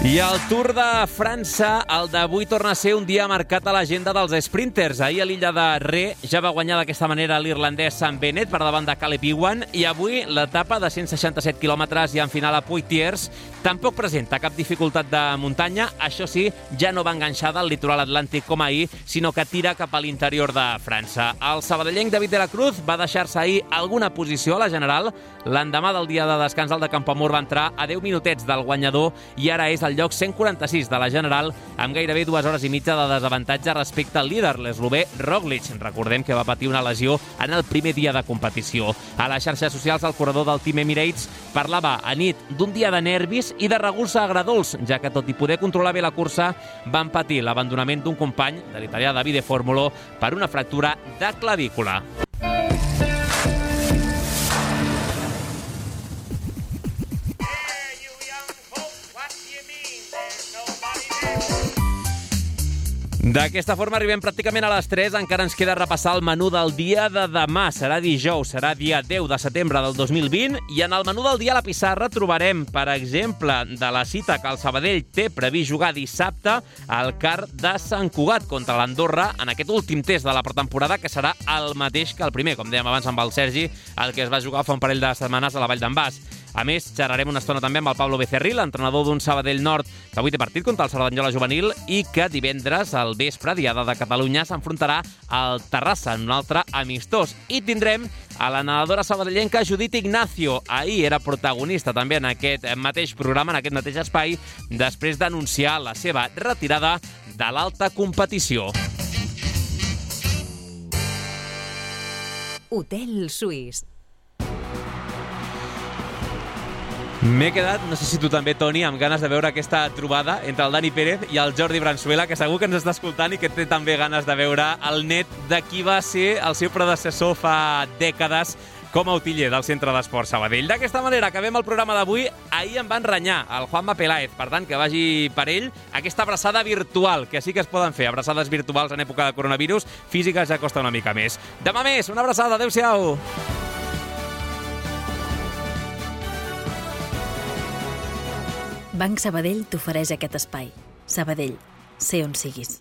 I el Tour de França, el d'avui, torna a ser un dia marcat a l'agenda dels sprinters. Ahir a l'illa de Ré ja va guanyar d'aquesta manera l'irlandès Sam Bennett per davant de Caleb Ewan, i avui l'etapa de cent seixanta-set quilòmetres i en final a Poitiers tampoc presenta cap dificultat de muntanya. Això sí, ja no va enganxada al litoral atlàntic com ahir, sinó que tira cap a l'interior de França. El sabadellenc David de la Cruz va deixar-se ahir alguna posició a la general. L'endemà del dia de descans, el de Campoamor va entrar a deu minutets del guanyador i ara és el lloc cent quaranta-sis de la general, amb gairebé dues hores i mitja de desavantatge respecte al líder, l'eslovè Roglic. Recordem que va patir una lesió en el primer dia de competició. A les xarxes socials, el corredor del Team Emirates parlava a nit d'un dia de nervis i de regurs agradolç, ja que tot i poder controlar bé la cursa, van patir l'abandonament d'un company, de l'italià Davide Formolo, per una fractura de clavícula. D'aquesta forma arribem pràcticament a les tres. Encara ens queda repassar el menú del dia de demà. Serà dijous, serà dia deu de setembre del dos mil vint, i en el menú del dia a la pissarra trobarem, per exemple, de la cita que el Sabadell té previst jugar dissabte al C A R de Sant Cugat contra l'Andorra en aquest últim test de la pretemporada, que serà el mateix que el primer, com dèiem abans amb el Sergi, el que es va jugar fa un parell de setmanes a la Vall d'en Bas. A més, xerrarem una estona també amb el Pablo Becerril, l'entrenador d'un Sabadell Nord que avui té partit contra el Cerdanyola Juvenil i que divendres al vespre, Diada de Catalunya, s'enfrontarà al Terrassa en un altre amistós. I tindrem a la nedadora sabadellenca Judit Ignacio. Ahir era protagonista també en aquest mateix programa, en aquest mateix espai, després d'anunciar la seva retirada de l'alta competició. Hotel Suís. M'he quedat, no sé si tu també, Toni, amb ganes de veure aquesta trobada entre el Dani Pérez i el Jordi Bransuela, que segur que ens està escoltant i que té també ganes de veure el net de qui va ser el seu predecessor fa dècades com a utiller del Centre d'Esports Sabadell. D'aquesta manera acabem el programa d'avui. Ahir em van renyar el Juanma Peláez, per tant, que vagi per ell aquesta abraçada virtual, que sí que es poden fer, abraçades virtuals en època de coronavirus, físiques ja costa una mica més. Demà més, una abraçada, adeu-siau! Banc Sabadell t'ofereix aquest espai. Sabadell, sé on siguis.